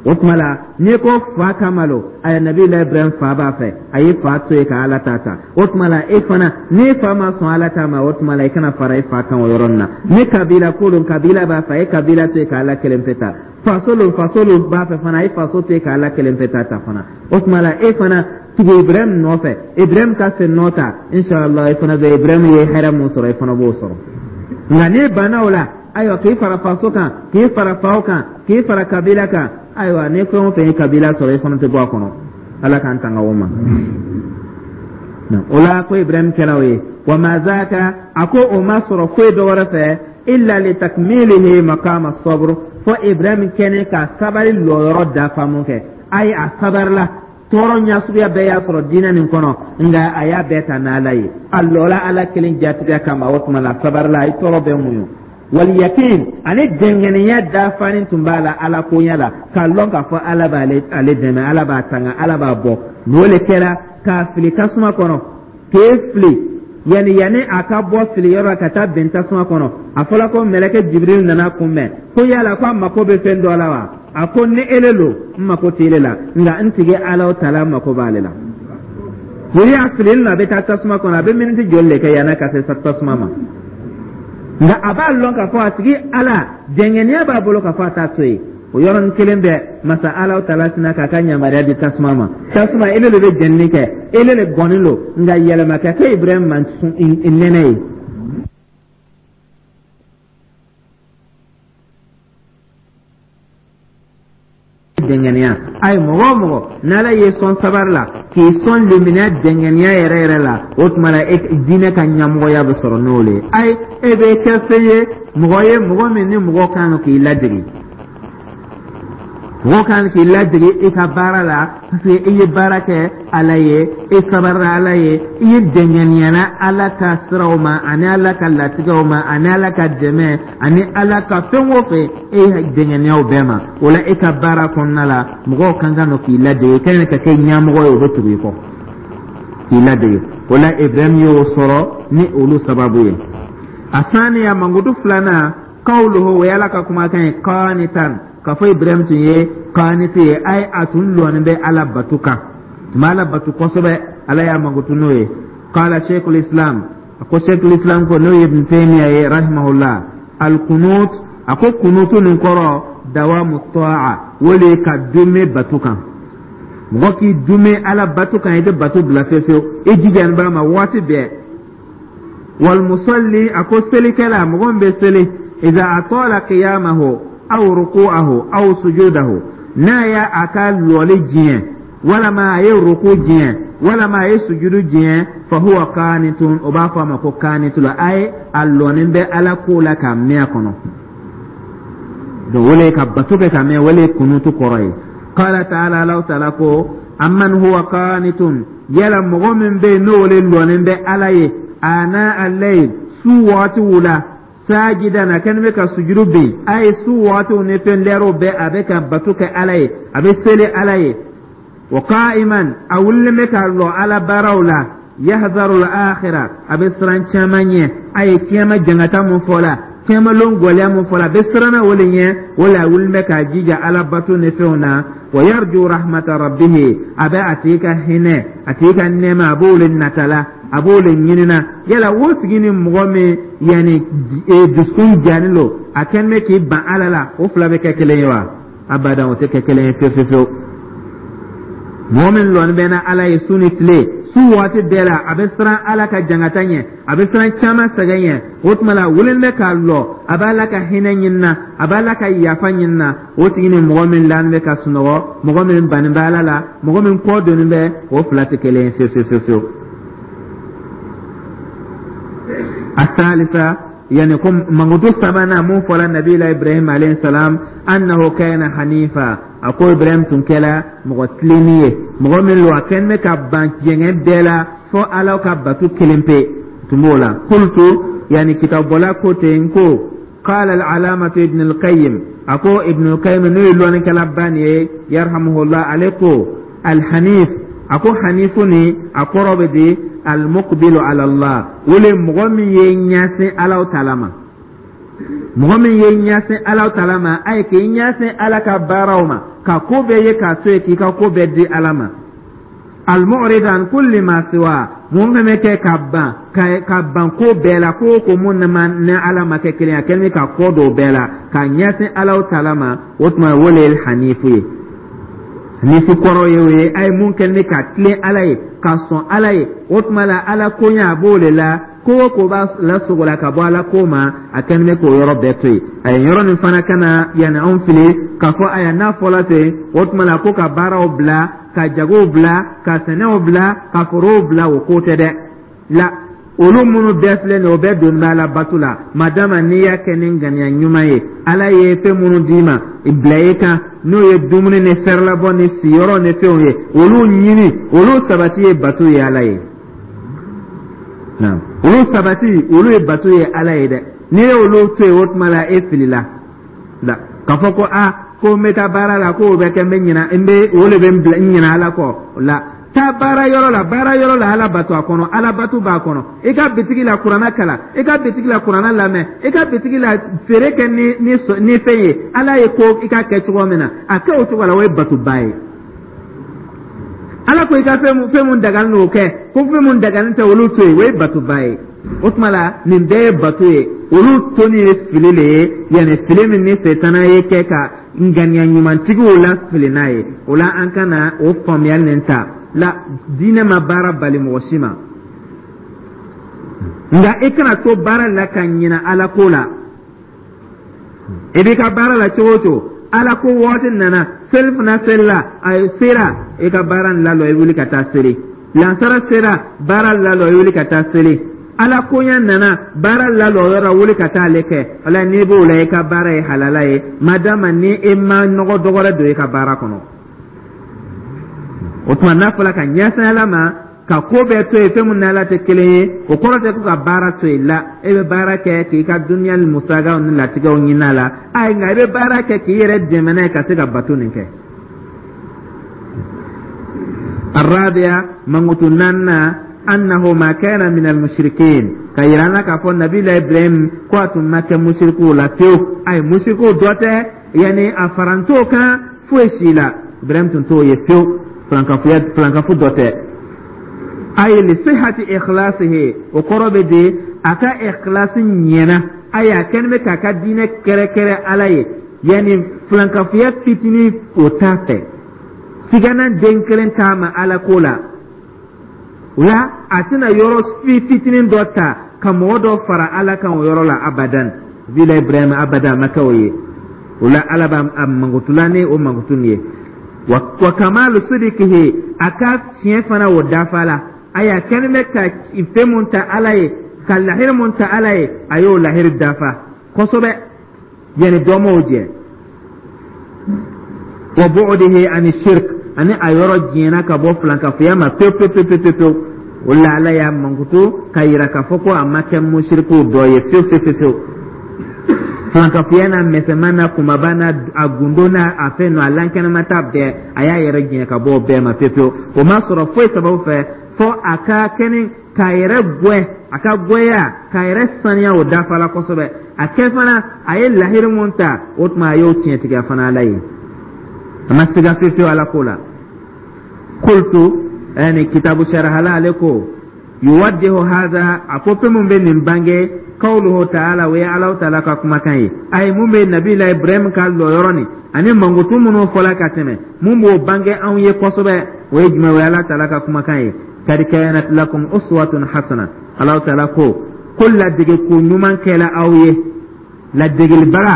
O tuma la, n'i ko fa kama lo, aya, Nabila Ibrahim fa b'a fɛ, a ye fa to yen ka Ala ta ta. O tuma la, e fana, n'i fa ma sɔn Ala ta ma, o tuma la, i kana fara i fa kan o yɔrɔnin na. Ni kabila ko don, kabila b'a fɛ, a ye kabila to yen ka Ala kelen pe ta. Faso lo, faso lo b'a fɛ fana, a ye faso to yen ka Ala kelen pe ta ta fana. O tuma la, e fana, tugu Ibrahim nɔfɛ, Ibrahim ka sen nɔ ta. Inshallah, e fana bɛ Ibrahim ye hɛrɛ mun sɔrɔ, e fana b'o sɔrɔ. Nka n'i banna o la, ayiwa, k'i fara faso kan, k'i fara faw kan, k'i fara kabila kan, ayiwa, ni fɛn o fɛn ye kabila sɔrɔ, e fana tɛ bɔ a kɔnɔ. Ala k'an tanga o ma. O la, ko Ibrahim kɛra o ye. Wa ma zaka, a ko o ma sɔrɔ foyi dɔ wɛrɛ fɛ, illa li takmilihi maqama sabr, fo Ibrahim kɛnɛ ka sabali lɔyɔrɔ dafa. Mun kɛ? Ayi, a sabarila, tɔɔrɔ ɲɛsuguya bɛɛ y'a sɔrɔ diinɛ nin kɔnɔ, nka a y'a bɛɛ ta n'Ala ye, a lɔla Ala kelen jatigiya kama. O tuma la, a sabarila, a ye tɔɔrɔ bɛɛ muɲu. Waliyakin, ani dɛngɛniya dafanin tun b'a la Ala koɲɛ la, k'a lɔn k'a fɔ Ala b'ale ale dɛmɛ, Ala b'a tanga, Ala b'a bɔ. N'o le kɛra k'a fili tasuma kɔnɔ, k'e fili, yanni a ka bɔ fili yɔrɔ la ka taa bɛn tasuma kɔnɔ, a fɔla ko mɛlɛkɛ Jibiril nana kunbɛn, ko yala ko a mako bɛ fɛn dɔ la wa? A ko ni ele lo, n mako tɛ ele la, nka n tigi Ala tala mako b'ale la. Wuli a filili la, a bɛ taa tasuma kɔnɔ, a bɛ miniti joli de kɛ yanni ka se tasuma ma? Nka a b'a lɔn k'a fɔ a tigi Ala, dɛngɛniya b'a bolo k'a fɔ a t'a to yen. O yɔrɔnin kelen bɛɛ, masa Ala tala sina k'a ka yamaruya di tasuma ma: tasuma, ele de bɛ jɛnini kɛ, ele de gɔni lo, nka yɛlɛma ka kɛ Ibrahim ma nɛnɛ ye. Dɛngɛniya, ayi, mɔgɔ o mɔgɔ n'Ala ye sɔn sabari la, k'i sɔn limaniya dɛngɛniya yɛrɛ yɛrɛ la, o tuma la, e diinɛ ka ɲɛmɔgɔya bɛ sɔrɔ n'o le ye. Ayi, e bɛ kɛ fɛn ye, mɔgɔ ye, mɔgɔ min ni mɔgɔ kan k'i ladege, mɔgɔ kan k'i ladege i ka baara la, parce que i ye baara kɛ Ala ye, i sabarila Ala ye, i ye dɛngɛniyana Ala ka siraw ma, ani Ala ka latigɛw ma, ani Ala ka dɛmɛ, ani Ala ka fɛn o fɛn, e ye dɛngɛniyaw bɛɛ ma. O la, e ka baara kɔnɔna la, mɔgɔw kan ka nɔ k'i ladege, i ka kan ka kɛ ɲɛmɔgɔ ye, o bɛ tugu i kɔ k'i ladege. O la, Ibrahim y'o sɔrɔ ni olu sababu ye. A saniya, mankutu filanan, kawuluhu, o ye Ala ka kumakan ye, qanitan, k'a fɔ Ibrahim tun ye kaniti ye, ayi, a tun lɔnnen bɛ Ala batu kan, tun bɛ Ala batu kosɛbɛ. Ala y'a mankutu n'o ye. Qala sheikhul islam, a ko sheikhul islam ko, n'o ye Ibn Taymiya ye rahimahullah, alkunut, a ko kunutu nin kɔrɔ dawamu ta'a, o le ka dume batu kan. Mɔgɔ k'i dume Ala batu kan, i tɛ batu bila fewu fewu, i jijani b'a ma waati bɛɛ. Walmusalli, a ko selikɛla, mɔgɔ min bɛ seli, iza atala qiyamahu aw ruku'ahu aw sujudahu, n'a y'a a ka lɔli jiɲɛ, walama a ye ruku jiɲɛ, walama a ye sujudu jiɲɛ, fa huwa qanitun, o b'a fɔ a ma ko kanitu la, a ye a lɔnin bɛ Ala ko la ka mɛn a kɔnɔ. Donc o le ka bato kɛ ka mɛn, o le kunutu kɔrɔ ye. Qala ta'ala, Allahu ta'ala ko, amman huwa qanitun, yala mɔgɔ min bɛ yen n'o le lɔnin bɛ Ala ye, ana al-layl, su waatiw la, sajidan, a kɛlen bɛ ka sujudu bin, a ye su waatiw ni fɛn lɛrɛw bɛɛ, a bɛ ka bato kɛ Ala ye, a bɛ seli Ala ye, wa qa'iman, a wulilen bɛ ka lɔ Ala baaraw la, yahzaru al-akhirah, a bɛ siran caman ɲɛ, a ye kiyama jangata mun fɔ la, kiyama lon gɔlɛya mun fɔ la, a bɛ siranna o le ɲɛ. O la, a wulilen bɛ k'a jija Ala bato ni fɛnw na. Wa yarju rahmata rabbihi, a bɛ a tigi ka hinɛ, a tigi ka nɛɛma, a b'o le natala, a b'o le ɲinina. Yala o tigi ni mɔgɔ min yanni dusukun jani lo, a kɛlen bɛ k'i ban Ala la, o fila bɛ kɛ kelen ye wa? Abadan, o tɛ kɛ kelen ye fewu fewu. Mɔgɔ min lɔni bɛ na Ala ye su ni tile, su Su waati bɛɛ la, a bɛ siran Ala ka jangata ɲɛ, a bɛ siran caman sɛgɛn ɲɛ. O tuma la, a wulilen bɛ k'a lɔ, a b'Ala ka hinɛ ɲinina, a b'Ala ka yafa ɲinina. O tigi ni mɔgɔ min lanin bɛ ka sunɔgɔ, mɔgɔ min bannen bɛ Ala la, mɔgɔ min kɔ donnen bɛ, o fila tɛ kelen ye fiyewu fiyewu fiyewu. Asalisa, yani ko mankutu sabanan mun fɔla nabila Ibrahim alayhi salam, annahu kana hanifa. A ko Ibrahim tun kɛla mɔgɔ tilenni ye, mɔgɔ min lo, a kɛlen bɛ ka ban jɛngɛ bɛɛ la fo Ala ka batu kelen pe tun b'o la. Qultu, yani kitabubɔla ko ten ko qala al-alamatu Ibn al-Qayyim, a ko Ibn al-Qayyim, n'o ye lɔnnikɛlaba nin ye, yarhamuhullah, ale ko alhanif, a ko hanifu ni a kɔrɔ bɛ di almuqbilu ala Allah, o le mɔgɔ min ye ɲɛsin Alaw taala ma, mɔgɔ min ye ɲɛsin Alaw taala ma. A ye k'i ɲɛsin Ala ka baaraw ma, ka ko bɛɛ ye k'a to yen, k'i ka ko bɛɛ di Ala ma. Almu'rid an kulli ma siwa, mun fɛn bɛ kɛ ka ban ka ban ko bɛɛ la, ko o ko mun ni Ala ma kɛ kelen ye, a kɛlen bɛ ka kɔ don o bɛɛ la ka ɲɛsin Alaw taala ma. O tuma, o le ye hanifu ye. Hanifu kɔrɔ ye o ye, a ye mun kɛlen bɛ ka tilen Ala ye, ka sɔn Ala ye. O tuma la, Ala koɲɛ, a b'o de la. Ko o ko b'a lasogola ka bɔ Ala ko ma, a kɛlen bɛ k'o yɔrɔ bɛɛ to yen. A ye yɔrɔ nin fana kana yanni anw fili k'a fɔ aya n'a fɔla ten, o tuma la ko ka baaraw bila, ka jagow bila, ka sɛnɛw bila, ka forow bila, o ko tɛ dɛ. La, olu minnu bɛɛ filɛ nin ye, o bɛɛ donni bɛ Ala bato la, madama n'i y'a kɛ ni ŋaniya ɲuman ye. Ala ye fɛn minnu d'i ma bila i kan, n'o ye dumuni ni fɛrɛlabɔ ni siyɔrɔ ni fɛnw ye, olu ɲini, olu sabati ye bato ye Ala ye. Olu sabati, olu ye bato ye Ala ye dɛ. N'i ye olu to yen, o tuma la e filila la k'a fɔ ko a ko n bɛ taa baara la, ko o bɛ kɛ n bɛ ɲina, n bɛ o de bɛ n bila n ɲina Ala kɔ la. Taa baara yɔrɔ la, baara yɔrɔ la, Ala bato a kɔnɔ, Ala bato b'a kɔnɔ. I ka bitigi la, kuranna kalan. I ka bitigi la, kuranna lamɛn. I ka bitigi la, feere kɛ ni fɛn ye Ala ye ko i ka kɛ cogo min na, a kɛ o cogo la, o ye batoba ye. Ala ko i ka fɛn mun dagalen don, o kɛ, ko fɛn mun dagalen tɛ, olu to yen, o ye batoba ye. O tuma la, nin bɛɛ ye bato ye. Olu toni ye fili le ye, yanni fili min ni setana ye kɛ ka ŋaniya ɲumantigiw la fili n'a ye. O la, an kana o faamuyali nin ta la. Diinɛ ma baara bali mɔgɔ si ma, nka i kana to baara la ka ɲina Ala ko la. I b'i ka baara la cogo o cogo, Ala ko waati nana, selifana selila, a sera, i ka baara nin lalɔ, i wuli ka taa seli. Lansara sera, baara lalɔ, i wuli ka taa seli. Ala koɲɛ nana, baara lalɔ yɔrɔ, wuli ka taa ale kɛ. Wala n'i b'o la, i ka baara ye halala ye, madama ni e ma nɔgɔ dɔgɔrɛ don i ka baara kɔnɔ. O tuma, n'a fɔra ka ɲɛsin Ala ma, ka ko bɛɛ to yen, fɛn min n'Ala tɛ kelen ye, o kɔrɔ tɛ ko ka baara to yen la. E bɛ baara kɛ k'i ka duniya ni musakaw ni latigɛw ɲini a la, ayi, nka i bɛ baara kɛ k'i yɛrɛ dɛmɛ n'a ye ka se ka bato nin kɛ. Arabiya, mankutu naaninan, annahu ma kana min almushrikin, ka yira an na k'a fɔ nabila Ibrahim ko a tun ma kɛ musirikuw la fewu. Ayi, musirikuw dɔ tɛ, yanni a farant'o kan foyi si la. Ibrahim tun t'o ye fewu, filankafoya, filankafo dɔ tɛ. Ayi, li sihati ikhlasihi, o kɔrɔ bɛ di a ka ikhlasi ɲɛna. Ayi, a kɛlen bɛ k'a ka diinɛ kɛrɛkɛrɛ Ala ye, yanni filankafoya fitinin o t'a fɛ, sigana den kelen t'a ma Ala ko la. O la, a tɛna yɔrɔ fitinin dɔ ta ka mɔgɔ dɔ fara Ala kan o yɔrɔ la abadan. Bila Ibrahima abadan a ma kɛ o ye. O la, Ala b'a mankutula ni o mankutu nin ye. Wa kamalu sidikihi, a ka tiɲɛ fana o dafa la. Ayi, a kɛlen bɛ ka fɛn mun ta Ala ye, ka lahiri mun ta Ala ye, a y'o lahiri dafa kosɛbɛ, yanni dɔ m'o jɛ. Wa bu'dihi ani shirk, ani a yɔrɔ janyana ka bɔ filankafoya ma pewu pewu pewu pewu pewu. O la, Ala y'a mankutu ka yira k'a fɔ ko a ma kɛ musirikuw dɔ ye fewu fewu fewu fewu. Filankafoya n'a mɛsɛma n'a kunbaba n'a a gundo n'a a fɛn nɔ a lankɛnɛma ta bɛɛ, a y'a yɛrɛ janya ka bɔ o bɛɛ ma pewu pewu. O ma sɔrɔ foyi sababu fɛ fɔ a ka kɛni k'a yɛrɛ gwɛ, a ka gwɛya k'a yɛrɛ saniya, o dafa la kosɛbɛ. A kɛ fana, a ye lahiri mun ta, o tuma a y'o tiɲɛtigiya fana Ala ye, a ma siga fewu fewu Ala ko la. Kultu, yani kitabu sarahala, ale ko yuwaddihu hadha, a ko fɛn mun bɛ nin bange. Kawluhu taala, o ye Alahu taala ka kumakan ye. Ayi, mun bɛ Nabila Ibrahim ka lɔyɔrɔ nin ani mankutu minnu fɔla ka tɛmɛ, mun b'o bange anw ye kosɛbɛ, o ye jumɛn? O ye Ala taala ka kumakan ye: Kad kanat lakum uswatun hasana. Alahu taala ko ladege ko ɲuman kɛla aw ye. Ladegelibaga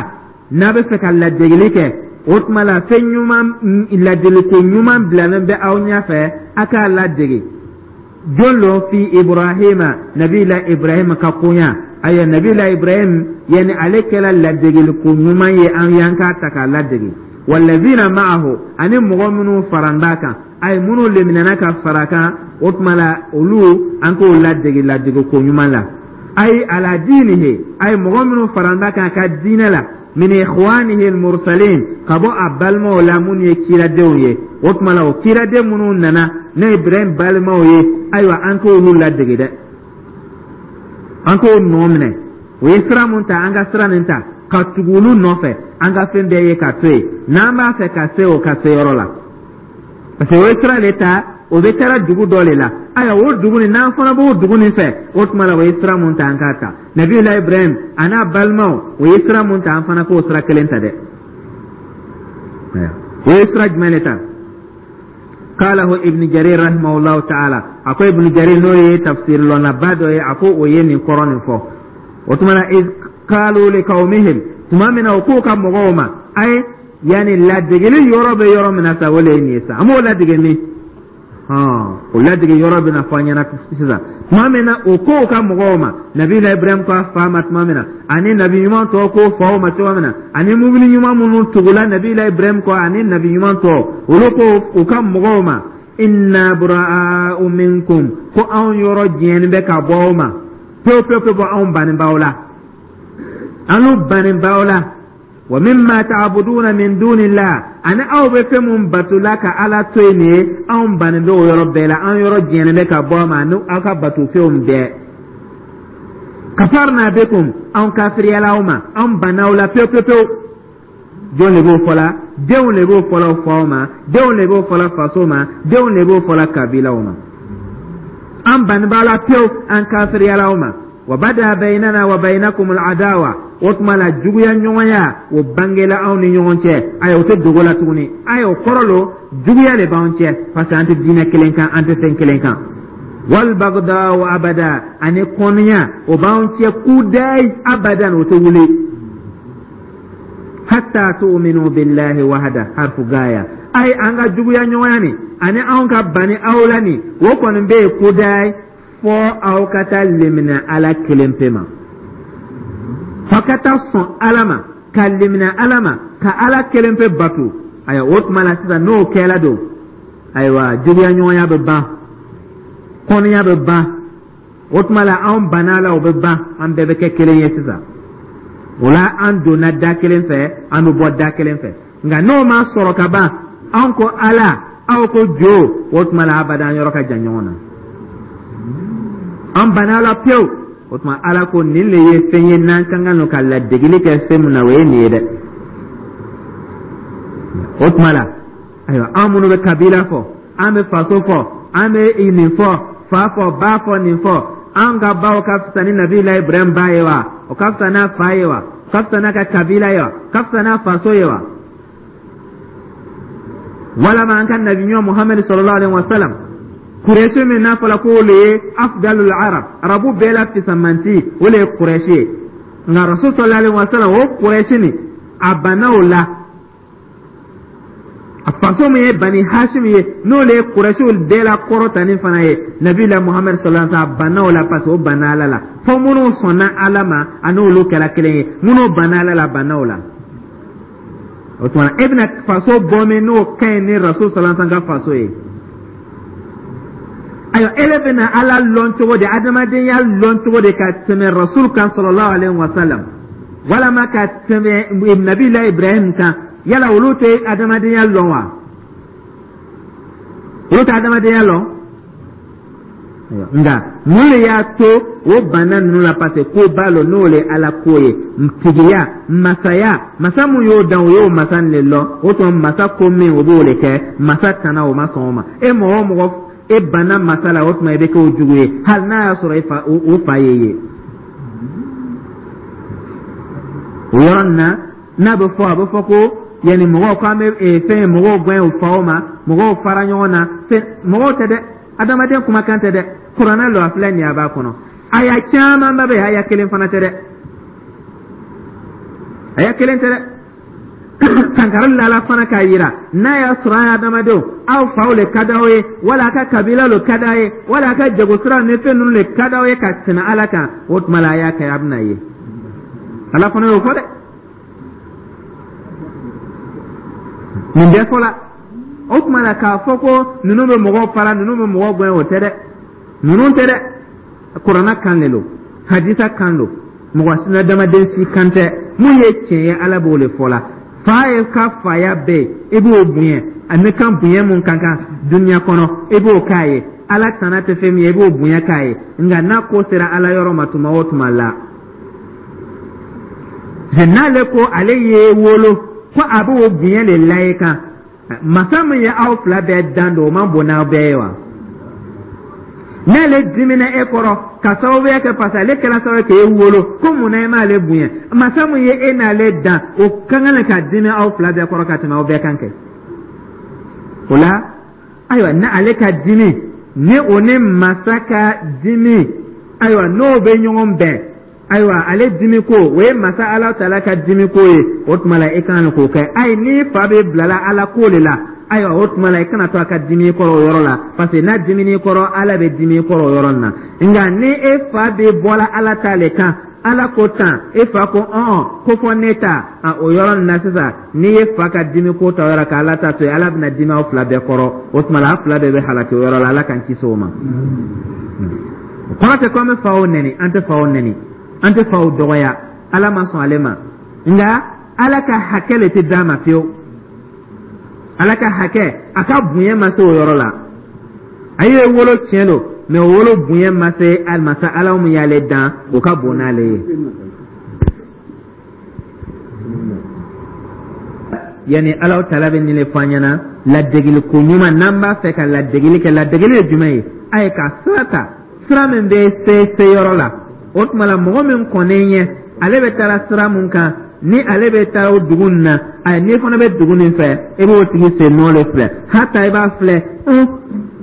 n'a bɛ fɛ ka ladegeli kɛ, o tuma la fɛn ɲuman, ladeliko ɲuman bilalen bɛ aw ɲɛfɛ, a k'a ladege. Jɔn lo? Fi Ibrahima, Nabila Ibrahim ka koɲa. Ayiwa, Nabila Ibrahim, yani ale kɛla ladegeliko ɲuman ye an y'an k'a ta k'a ladege. Walazina ma'ahu, ani mɔgɔ minnu faran b'a kan, ayi, minnu leminɛna ka fara kan, o tuma la olu, an k'o ladege ladege ko ɲuman la. Ayi, ala diinihi, ayi, mɔgɔ minnu faran b'a kan a ka diinɛ la, min ikhwanihi almursalin, ka bɔ a balimaw la minnu ye kiradenw ye. O tuma la o kiraden minnu nana ne Ibrahim balimaw ye, ayiwa, an k'olu ladege dɛ, an k'o nɔ minɛ. O ye sira mun ta, an ka sira nin ta ka tugu olu nɔfɛ, an ka fɛn bɛɛ ye ka to yen n'an b'a fɛ ka se o ka se yɔrɔ la, parce que o ye sira de ta, o bɛ taara dugu dɔ de la. Ayiwa, o dugu nin, n'an fana b'o dugu nin fɛ, o tuma la o ye sira mun ta, an k'a ta. Nabiyula Ibrahim a n'a balimaw, o ye sira mun ta, an fana k'o sira kelen ta dɛ. O ye sira jumɛn de ta? Qalahu Ibn Jarir rahimahullahu ta'ala. A ko Ibn Jarir, n'o ye tafsir lɔnnaba dɔ ye, a ko o ye nin kɔrɔ nin fɔ. O tuma na, iz qalu liqaumihim, tuma min na o k'o ka mɔgɔw ma. Ayi, yani ladegeli yɔrɔ bɛ yɔrɔ min na sa, o le ye nin ye sa. An b'o ladege min, o ladege yɔrɔ bɛna fɔ an ɲɛna sisan. Tuma min na o k'o ka mɔgɔw ma, Nabila Ibrahim ko a fa ma tuma min na, ani nabi ɲuman tɔw k'o faw ma cogo min na, ani mumini ɲuman minnu tugula Nabila Ibrahim kɔ, ani nabi ɲuman tɔw, olu ko u ka mɔgɔw ma: inna bura'u minkum, ko anw yɔrɔ jɛni bɛ ka bɔ aw ma pewu pewu pewu, anw bannen b'aw la, anw bannen b'aw la. Wa mimma ta'buduna min dunillah, ani aw bɛ fɛn mun batola ka Ala to yen nin ye, anw bannen bɛ o yɔrɔ bɛɛ la, an yɔrɔ jɛnnen bɛ ka bɔ a ma ani aw ka bato fɛnw bɛɛ. Kafarna bikum, anw kafiriyala aw ma, anw banna aw la pewu pewu pewu. Jɔn de b'o fɔla? Denw de b'o fɔla faw ma, denw de b'o fɔla faso ma, denw de b'o fɔla kabilaw ma: an banni b'a la pewu, an kafiriyala aw ma. Wa bada bainana wa bainakum al'adawa, o tuma la juguya ɲɔgɔnya, o bangela anw ni ɲɔgɔn cɛ. Ayi, o tɛ dogo la tuguni. Ayi, o kɔrɔ lo juguya de b'anw cɛ, parce que an tɛ diinɛ kelen kan, an tɛ fɛn kelen kan. Wal bagdau abada, ani kɔniya, o b'anw cɛ kudayi, abadan, o tɛ wuli. Hatta tu'minu billahi wahda, harfu gaya. Ayi, an ka juguya ɲɔgɔnya nin ani anw ka bani aw la nin, o kɔni bɛ yen kudayi, fɔ aw ka taa lemina Ala kelen pe ma, fɔ ka taa sɔn Ala ma, ka lemina Ala ma, ka Ala kelen pe bato. Ayiwa, o tuma la sisan, n'o kɛla don, ayiwa, juguya ɲɔgɔnya bɛ ban, kɔniya bɛ ban. O tuma la anw banna la, o bɛ ban, an bɛɛ bɛ kɛ kelen ye sisan. O la an donna da kelen fɛ, an bɛ bɔ da kelen fɛ. Nka n'o ma sɔrɔ ka ban, anw ko Ala, aw ko jo, o tuma la abada an yɔrɔ ka jan ɲɔgɔn na, an banna la pewu. O tuma Ala ko nin le ye fɛn ye n'an ka kan ka ladegeli kɛ fɛn min na, o ye nin ye dɛ. O tuma la, ayiwa, an minnu bɛ kabila fɔ, an bɛ faso fɔ, an bɛ nin fɔ, fa fɔ, ba fɔ, nin fɔ, an ka baw ka fisa ni Nabila Ibrahim ba ye wa? O ka fisa n'a fa ye wa? O ka fisa n'a ka kabila ye wa? O ka fisa n'a faso ye wa? Walama an ka nabi ɲuman Muhamadu sallallahu alaihi wa sallam, Kurɛsi min n'a fɔra k'o le ye afdalul arab, arabu bɛɛ la fisamanti, o le ye Kurɛsi ye. Nka Rasul sallallahu alaihi wa sallam, o Kurɛsi nin, a banna o la. A faso min ye Bani Hashim ye, n'o le ye Kurɛsiw bɛɛ la kɔrɔtanin fana ye, Nabila Muhamadu sallallahu alaihi wa sallam, a banna o la, parce que o banna Ala la. Fo minnu sɔnna Ala ma, a n'olu kɛra kelen ye. Minnu banna Ala la, a banna o la. O tuma e bɛna faso bɔ min, n'o ka ɲi ni Rasul sallallahu alaihi wa sallam ka faso ye? Ayiwa, ele bɛna Ala lɔn cogo di, adamadenya lɔn cogo di ka tɛmɛ Rasul kan sallallahu alaihi wa sallam, walama ka tɛmɛ Nabila Ibrahim kan? Yala olu tɛ adamadenya lɔn wa? Olu tɛ adamadenya lɔn? Nka mun de y'a to o banna ninnu la? Parce que ko ba lo, n'o le Ala ko ye, tigiya, masaya, masa mun y'o dan, o y'o masa nin le lɔn. O tuma masa ko min, o b'o le kɛ. Masa tana, o ma sɔn o ma. E mɔgɔ o mɔgɔ, e banna masa la, o tuma i bɛ kɛ o jugu ye, hali n'a y'a sɔrɔ e fa, o fa ye ye. O yɔrɔ nin na, n'a bɛ fɔ, a bɛ fɔ ko yanni mɔgɔw ko an bɛ fɛn mɔgɔw gɛn u faw ma, mɔgɔw fara ɲɔgɔn na. Fɛn mɔgɔw tɛ dɛ, adamaden kumakan tɛ dɛ, kuranɛ lɔ a filɛ nin ye, a b'a kɔnɔ. Aya camanba bɛ yen, aya kelen fana tɛ dɛ, aya kelen tɛ dɛ. Kankari lala fana k'a yira n'a y'a sɔrɔ a ye adamadenw, aw faw le ka d'aw ye, wala a ka kabila le ka d'aw ye, wala a ka jagosira ni fɛn ninnu le ka d'aw ye ka tɛmɛ Ala kan, o tuma la a y'a kɛ, a bɛna ye. Ala fana y'o fɔ dɛ. Nin bɛɛ fɔla. O tuma la, k'a fɔ ko ninnu bɛ mɔgɔw fara, ninnu bɛ mɔgɔw gɛn, o tɛ dɛ, ninnu tɛ dɛ. Kuranna kan de don, hadisa kan don, mɔgɔ adamaden si kan tɛ. Mun ye tiɲɛ ye, Ala b'o de fɔ la. Fa ye ka faya bɛ yen, i b'o bonya, ani kan bonya mun ka kan dunuya kɔnɔ, i b'o k'a ye. Ala tana tɛ fɛn min ye, i b'o bonya k'a ye. Nka n'a ko sera Ala yɔrɔ ma tuma o tuma la, n'ale ko ale ye wolo ko a b'o bonya de la i kan, masa min ye aw fila bɛɛ dan don, o man bon n'aw bɛɛ ye wa? N'ale dimina e kɔrɔ ka sababuya kɛ, parce que ale kɛra sababu ye k'e wolo, ko mun na e m'ale bonya, masa min ye e n'ale dan, o ka kan ka dimi aw fila bɛɛ kɔrɔ ka tɛmɛ aw bɛɛ kan kɛ. O la, ayiwa, ni ale ka dimi ni o ni masa ka dimi, ayiwa, n'o bɛ ɲɔgɔn bɛn, ayiwa, ale dimi ko o ye masa Ala taala ka dimi ko ye, o tuma la i kan k'o kɛ. Ayi, n'i fa bɛ bilala Ala ko de la, ayiwa, o tuma la i kana to a ka dimi i kɔrɔ o yɔrɔ la, parce que n'a dimini i kɔrɔ, Ala bɛ dimi i kɔrɔ o yɔrɔ nin na. Nka ni e fa bɛ bɔla Ala ta le kan, Ala ko tan, e fa ko ɔn ko fɔ ne ta, o yɔrɔ nin na sisan, n'i ye fa ka dimi ko ta o yɔrɔ ka Ala ta to yen, Ala bɛna dimi aw fila bɛɛ kɔrɔ. O tuma la aw fila bɛɛ bɛ halaki o yɔrɔ la. Ala k'an kisi o ma. O kɔrɔ tɛ ko an bɛ faw nɛni, an tɛ faw nɛni, an tɛ faw dɔgɔya, Ala ma sɔn ale ma. Nka Ala ka hakɛ le tɛ d'a ma fiyewu. Ala ka hakɛ, a ka bonya ma se o yɔrɔ la. A ye wolo, tiɲɛ don, mɛ o wolo bonya ma se masa Ala min y'ale dan, o ka bon n'ale ye. Yani Ala taala bɛ nin de fɔ an ɲɛna, ladegeli ko ɲuman, n'an b'a fɛ ka ladegeli kɛ, ladegeli ye jumɛn ye? A ye ka sira ta, sira min bɛ se se yɔrɔ la. O tuma la, mɔgɔ min kɔnnen ɲɛ, ale bɛ taara sira mun kan, ni ale bɛ taa o dugu nin na, ayi, n'i fana bɛ dugu nin fɛ, e b'o tigi sen nɔ de filɛ. Hata i b'a filɛ,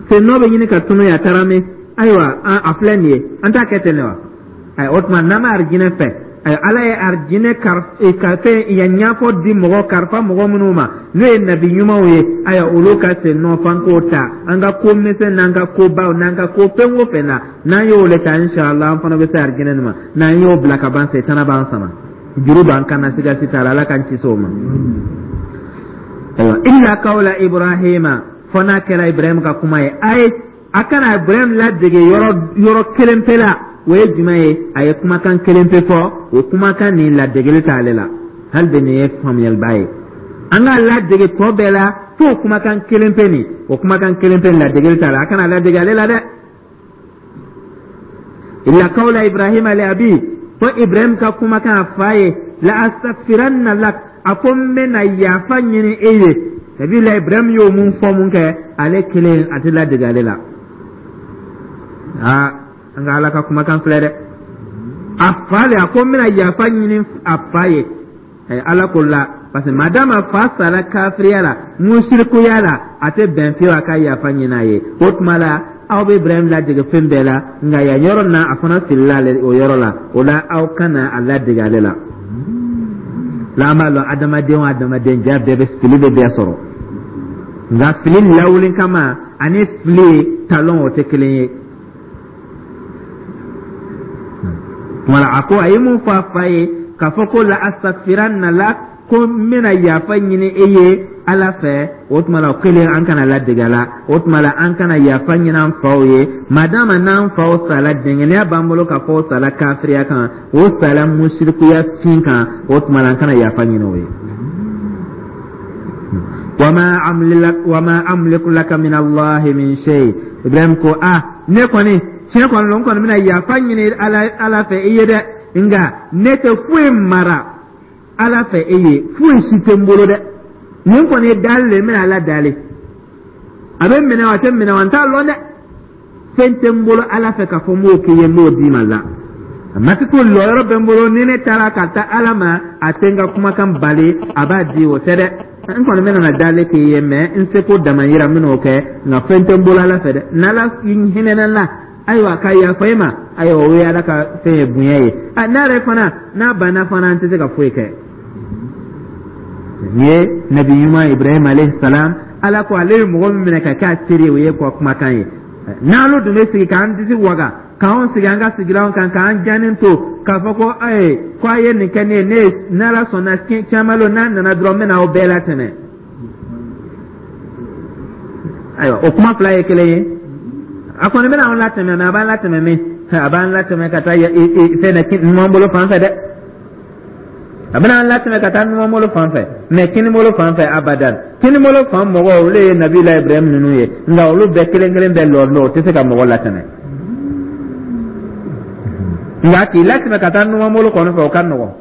sen nɔ bɛ ɲini ka tunu yan, a taara min? Ayiwa, a filɛ nin ye, an t'a kɛ ten de wa? Ayi, o tuma n'an bɛ arijinɛ fɛ, ayi, Ala ye arijinɛ ka fɛn yan ɲɛfɔ di mɔgɔ karifa mɔgɔ minnu ma, n'o ye nabi ɲumanw ye, ayiwa, olu ka sen nɔ f'an k'o ta an ka ko misɛn n'an ka kobaw n'an ka ko fɛn o fɛn na. N'an y'o le ta, inshallah, an fana bɛ se arijinɛ nin ma. N'an y'o bila ka ban, setana b'an sama, juru b'an kan na, siga si t'a la. Ala k'an kisi o ma. Ayiwa, illa kawla Ibrahima, fo n'a kɛra Ibrahim ka kuma ye. A ye a kana Ibrahim ladege yɔrɔ yɔrɔ kelen pe la. O ye jumɛn ye? A ye kumakan kelen pe fɔ, o kumakan nin, ladegeli t'ale la. Hali bi nin ye faamuyaliba ye. An k'a ladege tɔ bɛɛ la fo kumakan kelen pe nin, o kumakan kelen pe, ladegeli t'a la, a kana ladege ale la dɛ. Illa kawla Ibrahima li abi, fo Ibrahim ka kumakan a fa ye, la astaghfiranna lak, a ko n bɛna yafa ɲini e ye. Nabila Ibrahim y'o mun fɔ mun kɛ, ale kelen, a tɛ ladege ale la. Aa, an ka Ala ka kumakan filɛ dɛ. A fa le, a ko n bɛna yafa ɲini a fa ye. Ala ko la, parce que madama fa sara kafiriya la, musirikuya la, a tɛ bɛn fiyewu a ka yafa ɲini a ye. O tuma la, aw bɛ Ibrahim ladege fɛn bɛɛ la, nka yan yɔrɔ na, a fana filila ale o yɔrɔ la. O la, aw kana a ladege ale la. La, an b'a lɔn, adamaden o adamaden ja bɛɛ bɛ fili, bɛ bɛɛ sɔrɔ, nka fili lawuli kama ani fili talon, o tɛ kelen ye. Tuma la, a ko a ye mun fɔ a fa ye k'a fɔ ko la astaghfiranna lak, ko n bɛna yafa ɲini e ye Ala fɛ, o tuma la o kelen, an kana ladege a la. O tuma la, an kana yafa ɲini an faw ye, madama n'an faw sala, dɛngɛnɛya b'an bolo k'a fɔ o sala kafiriya kan, o sala musirikuya fin kan, o tuma la an kana yafa ɲini o ye. Wama amliku laka min Allahi min shay. Ibrahim ko a ne kɔni, tiɲɛ kɔni lo, n kɔni bɛna yafa ɲini Ala fɛ i ye dɛ, nka ne tɛ foyi mara Ala fɛ e ye, foyi si tɛ n bolo dɛ. Nin kɔni ye daali le, n bɛna Ala daali, a bɛ minɛ wa, a tɛ minɛ wa, n t'a lɔn dɛ. Fɛn tɛ n bolo Ala fɛ k'a fɔ n b'o k'i ye, n b'o d'i ma la. A ma ko lɔyɔrɔ bɛ n bolo, ni ne taara ka taa Ala ma, a tɛ n ka kumakan bali, a b'a di, o tɛ dɛ. N kɔni bɛna na dali k'i ye, mɛ n seko damayira n bɛn'o kɛ, nka fɛn tɛ n bolo Ala fɛ dɛ. N'Ala hinɛna n la, ayiwa, ka yafa e ma, ayiwa, o ye Ala ka fɛn ye, bonya ye. N'a yɛrɛ fana n'a banna fana, an tɛ se ka foyi kɛ. Nin ye nabi ɲuman Ibrahim alayhi salam. Ala ko ale ye mɔgɔ min minɛ ka kɛ a teri ye, o ye kɔ kumakan ye. N'olu dun bɛ sigi k'an disi waga, k'anw sigi an ka sigilanw kan, k'an jannen to k'a fɔ ko ayi, ko a ye nin kɛ ne ye, ne n'Ala sɔnna caman lo, n'a nana dɔrɔn n bɛna aw bɛɛ latɛmɛ. Ayiwa, o kuma fila ye kelen ye. A kɔni bɛna anw latɛmɛ, mɛ a b'an latɛmɛ min, a b'an latɛmɛ ka taa fɛn na numan bolo fan fɛ dɛ. A bɛna an latɛmɛ ka taa numan bolo fan fɛ, mɛ kini bolo fan fɛ, abadan. Kini bolo fan mɔgɔw, olu ye nabila Ibrahim ninnu ye, nka olu bɛɛ kelen kelen bɛɛ lɔ lɔ, o tɛ se ka mɔgɔ latɛmɛ. Nka k'i latɛmɛ ka taa numan bolo kɔni fɛ, o ka nɔgɔn.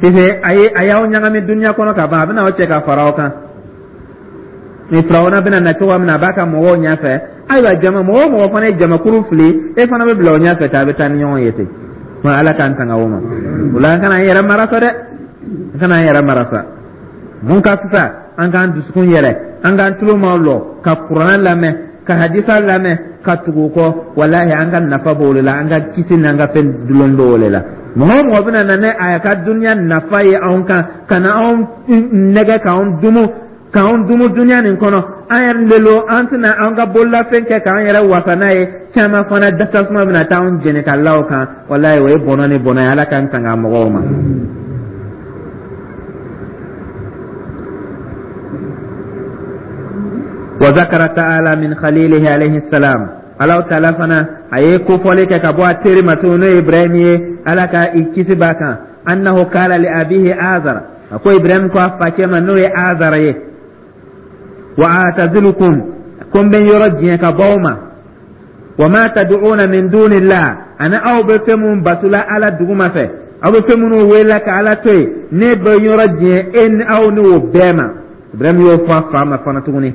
Sise a ye a y'aw ɲagami duniya kɔnɔ ka ban, a bɛna aw cɛ ka fara aw kan. Ni Firawuna bɛna na cogoya min na, a b'a ka mɔgɔw ɲɛfɛ. Ayiwa, jama mɔgɔ o mɔgɔ fana ye jamakuru fili, e fana bɛ bila o ɲɛfɛ ten, a bɛ taa ni ɲɔgɔn ye ten. Wa Ala k'an tanga o ma. O la, an kana an yɛrɛ mara sa dɛ, an kana an yɛrɛ mara sa. Mun ka fisa, an k'an dusukun yɛlɛ, an k'an tulo maaw lɔ ka kuranɛ lamɛn, ka hadisa lamɛn, ka tugu o kɔ. Walahi, an ka nafa b'o de la, an ka kisi n'an ka fɛn dulon b'o de la. Mɔgɔ o mɔgɔ bɛna na ni a ka duniya nafa ye anw kan, ka na anw nɛgɛ, k'anw dumu duniya nin kɔnɔ, an yɛrɛ lelo, an tɛna an ka bololafɛn kɛ k'an yɛrɛ wasa n'a ye. Caman fana tasuma bɛna taa anw jɛni ka la o kan. Walayi, o ye bɔnɔ ni bɔnɔ ye. Ala k'an tanga mɔgɔw ma. Wa zakara ta'ala min khalilihi alayhi salam, Alahu taala fana a ye kofɔli kɛ ka bɔ a teri ma tuguni, n'o ye Ibrahim ye, Ala ka i kisi b'a kan, annahu kala li abihi Azara, a ko Ibrahim ko a facɛ ma, n'o ye Azara ye, wa atazilukum, ko n bɛ n yɔrɔ diɲɛ ka bɔ aw ma, wa ma tad'una min dunillah, ani aw bɛ fɛn mun batula Ala duguma fɛ, aw bɛ fɛn minnu wele ka Ala to yen, ne bɛ n yɔrɔ diɲɛ e ni aw ni o bɛɛ ma. Ibrahim y'o fɔ a fa ma fana tuguni.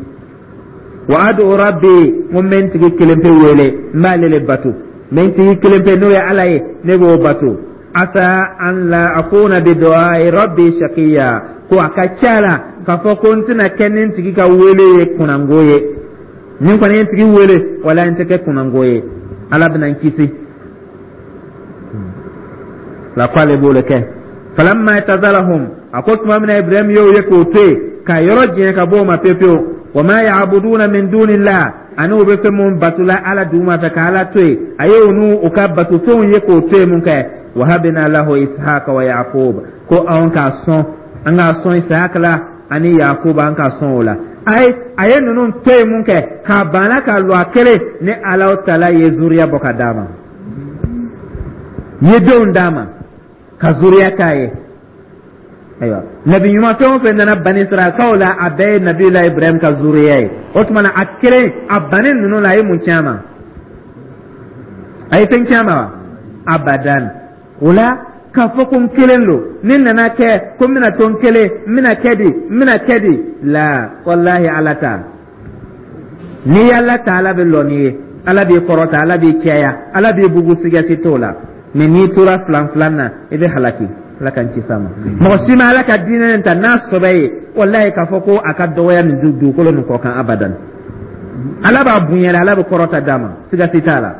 Wa ad'u rabbi, n ko n bɛ n tigi kelen pe wele, n b'ale le bato, n bɛ n tigi kelen pe, n'o ye Ala ye, ne b'o bato. Asa an la akuna bi du'ai rabbi shaqiya, ko a ka ca la k'a fɔ ko n tɛna kɛ ni n tigi ka wele ye kunnango ye. Ni n kɔni ye n tigi wele, wala n tɛ kɛ kunnango ye, Ala bɛna n kisi la. Ko ale b'o de kɛ. Falamma i'tazalahum, a ko tuma min na Ibrahim y'o ye k'o to yen, ka yɔrɔ janya ka bɔ o ma pewu pewu, wa ma ya'buduna min dunillah, ani u bɛ fɛn mun batula Ala duguma fɛ ka Ala to yen, a ye u n'u u ka batofɛnw ye k'o to yen mun kɛ, wahabina lahu Ishaqa wa Yaqub, ko anw k'a sɔn, an k'a sɔn Isahaka la ani Yakuba, an k'a sɔn o la. A ye ninnu to yen mun kɛ, k'a banna k'a lɔ a kelen ni Alahu taala ye zuriya bɔ ka d'a ma, ye denw d'a ma, ka zuriya k'a ye. Ayiwa, nabi ɲuman fɛn o fɛn nana bani Israɛlkaw la, a bɛɛ ye nabila Ibrahim ka zuriya ye. O tuma na, a kelen a bannen ninnu la, a ye mun tiɲɛ a ma? A ye fɛn tiɲɛ a ma wa? Abadan. O la, k'a fɔ ko n kelen don, ne nana kɛ ko n bɛna to n kelen, n bɛna kɛ di, n bɛna kɛ di la, walahi, Ala ta, n'i y'Ala ta, Ala bɛ lɔ n'i ye, Ala b'i kɔrɔta, Ala b'i cɛya, Ala b'i bugu, siga si t'o la. Mɛ n'i tora filan filan na, i bɛ halaki. Ala k'an kisi a ma. Mɔgɔ si ma Ala ka diinɛ nin ta n'a sɔbɛ ye, walahi, k'a fɔ ko a ka dɔgɔya nin dugukolo nin kɔ kan, abadan. Ala b'a bonya, Ala bɛ kɔrɔta d'a ma, siga si t'a la.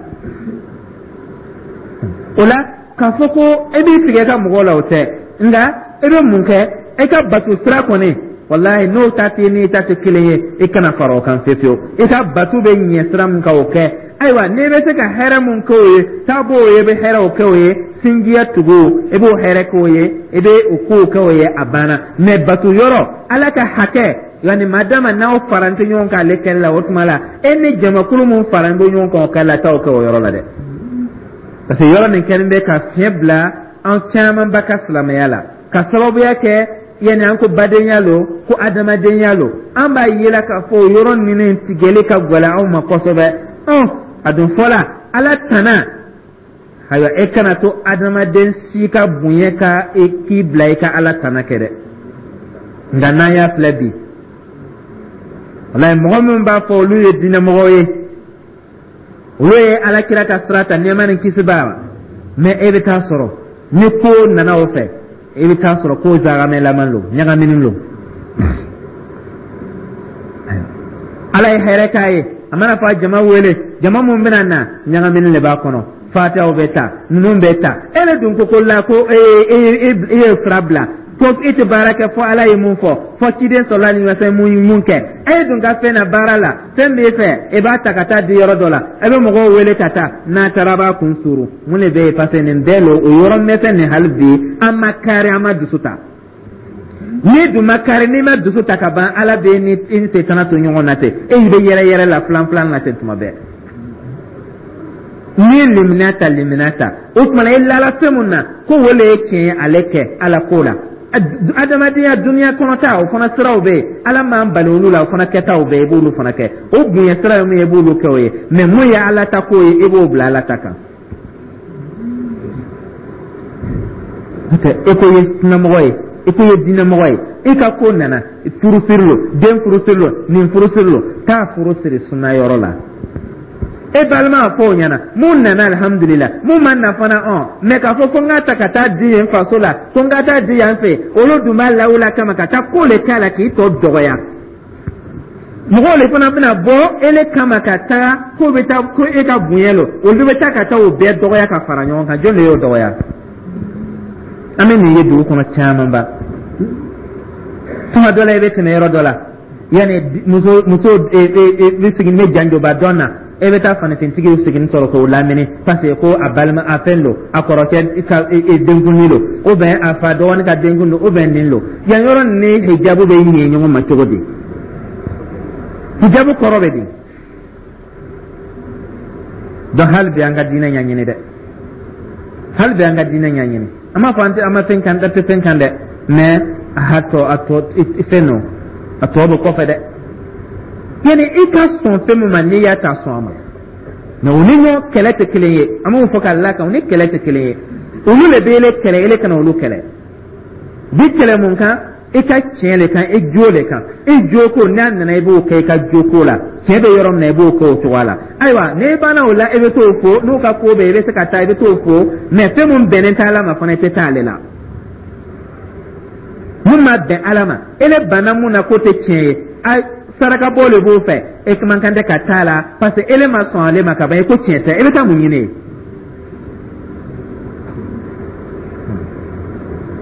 O la, k'a fɔ ko e b'i tigɛ ka mɔgɔw la, o tɛ. Nka e bɛ mun kɛ e ka bato sira kɔni, walahi, n'o ta tɛ n'i ta tɛ kelen ye, i kana fara o kan fiyewu fiyewu. I ka bato bɛ ɲɛ sira min kan, o kɛ. Ayiwa, n'i bɛ se ka hɛrɛ mun kɛ o ye, taa b'o ye, i bɛ hɛrɛw kɛ o ye, sinjiya tugu, i b'o hɛrɛ kɛ o ye, i bɛ o kow kɛ o ye, a banna. Mɛ bato yɔrɔ, Ala ka hakɛ, yanni madama n'aw faralen tɛ ɲɔgɔn kan ale kɛli la, o tuma la, e ni jamakulu mun faralen bɛ ɲɔgɔn kan o kɛli la, t'aw kɛ o yɔrɔ la dɛ, parce que yɔrɔ nin kɛlen bɛ ka fiɲɛ bila an camanba ka silamɛya la, ka sababuya kɛ yanni an ko badenya lo, ko adamadenya lo. An b'a yela k'a fɔ o yɔrɔ ninnu tigɛli ka gɛlɛn anw ma kosɛbɛ. Ɔn, a dun fɔla Ala tana. Ayiwa, e kana to adamaden si ka bonya ka e k'i bila i ka Ala tana kɛ dɛ. Nka n'an y'a filɛ bi, walayi, mɔgɔ minnu b'a fɔ olu ye diinɛmɔgɔw ye, olu ye Ala kira ka sira ta, nɛɛma ni kisi b'a ma. Mais e bɛ taa sɔrɔ ni ko nana o fɛ, i bɛ taa sɔrɔ ko zagamɛlaman lo, ɲagaminen lo. Ala ye hɛrɛ k'a ye, a mana fɔ a jama wele, jama mun bɛna na, ɲagaminen de b'a kɔnɔ. Fatihaw bɛ ta, ninnu bɛ ta. E de dun ko la ko e e ye sira bila ko e tɛ baara kɛ fɔ Ala ye mun fɔ, fɔ ciden sɔrɔla ni fɛn mun kɛ. E dun ka fɛn na baara la, fɛn b'e fɛ, e b'a ta ka taa di yɔrɔ dɔ la, e bɛ mɔgɔw wele ka taa, n'a taara a b'a kun suru. Mun de bɛ yen? Parce que nin bɛɛ lo o yɔrɔ mɛsɛn nin. Hali bi an ma kari, an ma dusu ta. N'i dun ma kari, n'i ma dusu ta ka ban, Ala bɛ ni i ni setana to ɲɔgɔn na ten, e bɛ yɛrɛ yɛrɛ la filan filan na ten tuma bɛɛ. N'i ye limaniya ta, limaniya ta, o tuma na i lala fɛn mun na ko o le ye tiɲɛ ye, ale kɛ Ala ko la. Adamadenya duniya kɔnɔta, o fana siraw bɛ yen, Ala m'an bali olu la, o fana kɛtaw bɛ yen, i b'olu fana kɛ. O bonya sira ye mun ye, i b'olu kɛ o ye. Mais mun ye Ala ta ko ye, i b'o bila Ala ta kan. N'o tɛ, e ko i ye sinamɔgɔ ye, i ko i ye diinɛmɔgɔ ye, i ka ko nana furusiri lo, den furusiri lo, nin furusiri lo, taa furu siri suna yɔrɔ la. E balima fɔ o ɲɛna, mun nana, alihamudulila, mun ma na fana ɔn. Mais k'a fɔ ko n k'a ta ka taa di yen faso la, ko n ka taa di yan fɛ, olu dun b'a lawula kama ka taa ko le k'a la k'i tɔ dɔgɔya. Mɔgɔw le fana bɛna bɔ ele kama ka taa k'o bɛ taa ko e ka bonya lo, olu bɛ taa ka taa o bɛɛ dɔgɔya ka fara ɲɔgɔn kan. Jɔn de y'o dɔgɔya? An bɛ nin ye dugu kɔnɔ camanba. Tuma dɔ la, i bɛ tɛmɛ yɔrɔ dɔ la, yanni muso bɛ sigi ne janjoba dɔn na, e bɛ taa fanifintigiw sigini sɔrɔ k'o lamini, parce que ko a balima a fɛn don, a kɔrɔkɛ ka denkundi don, ou bien a fa dɔgɔnin ka denkundi don, ou bien nin don. Yan yɔrɔ ni hijabu bɛ ɲɛ ɲɔgɔn ma cogo di? Hijabu kɔrɔ bɛ di? Donc hali bi an ka diinɛ ɲɛɲini dɛ, hali bi an ka diinɛ ɲɛɲini. An b'a fɔ an tɛ, an ma fɛn kan, an tɛ fɛn kan dɛ, mais a tɔ, a tɔ fɛn don, a tɔ bɛ kɔfɛ dɛ. Yani i ka sɔn fɛn min ma, n'i y'a ta, sɔn a ma. Mais u ni ɲɔgɔn kɛlɛ tɛ kelen ye. An b'o fɔ ka la kan, u ni kɛlɛ tɛ kelen ye. Olu le bɛ ele kɛlɛ, ele kana olu kɛlɛ. Bi kɛlɛ mun kan? I ka tiɲɛ le kan, i jo le kan. I jo ko n'a nana, i b'o kɛ i ka jo ko la. Tiɲɛ bɛ yɔrɔ min na, i b'o kɛ o cogoya la. Ayiwa, n'i banna o la, i bɛ t'o fo n'u ka ko bɛ, i bɛ se ka taa, i bɛ t'o fo. Mais fɛn mun bɛnnen tɛ Ala ma fana, i tɛ taa ale la. Mun ma bɛn Ala ma, ele banna mun na k'o tɛ tiɲɛ ye, a saraka bɔ le b'o fɛ, e man kan tɛ ka taa la, parce que ele ma sɔn ale ma ka ban, i ko tiɲɛ tɛ, e bɛ taa mun ɲini yen?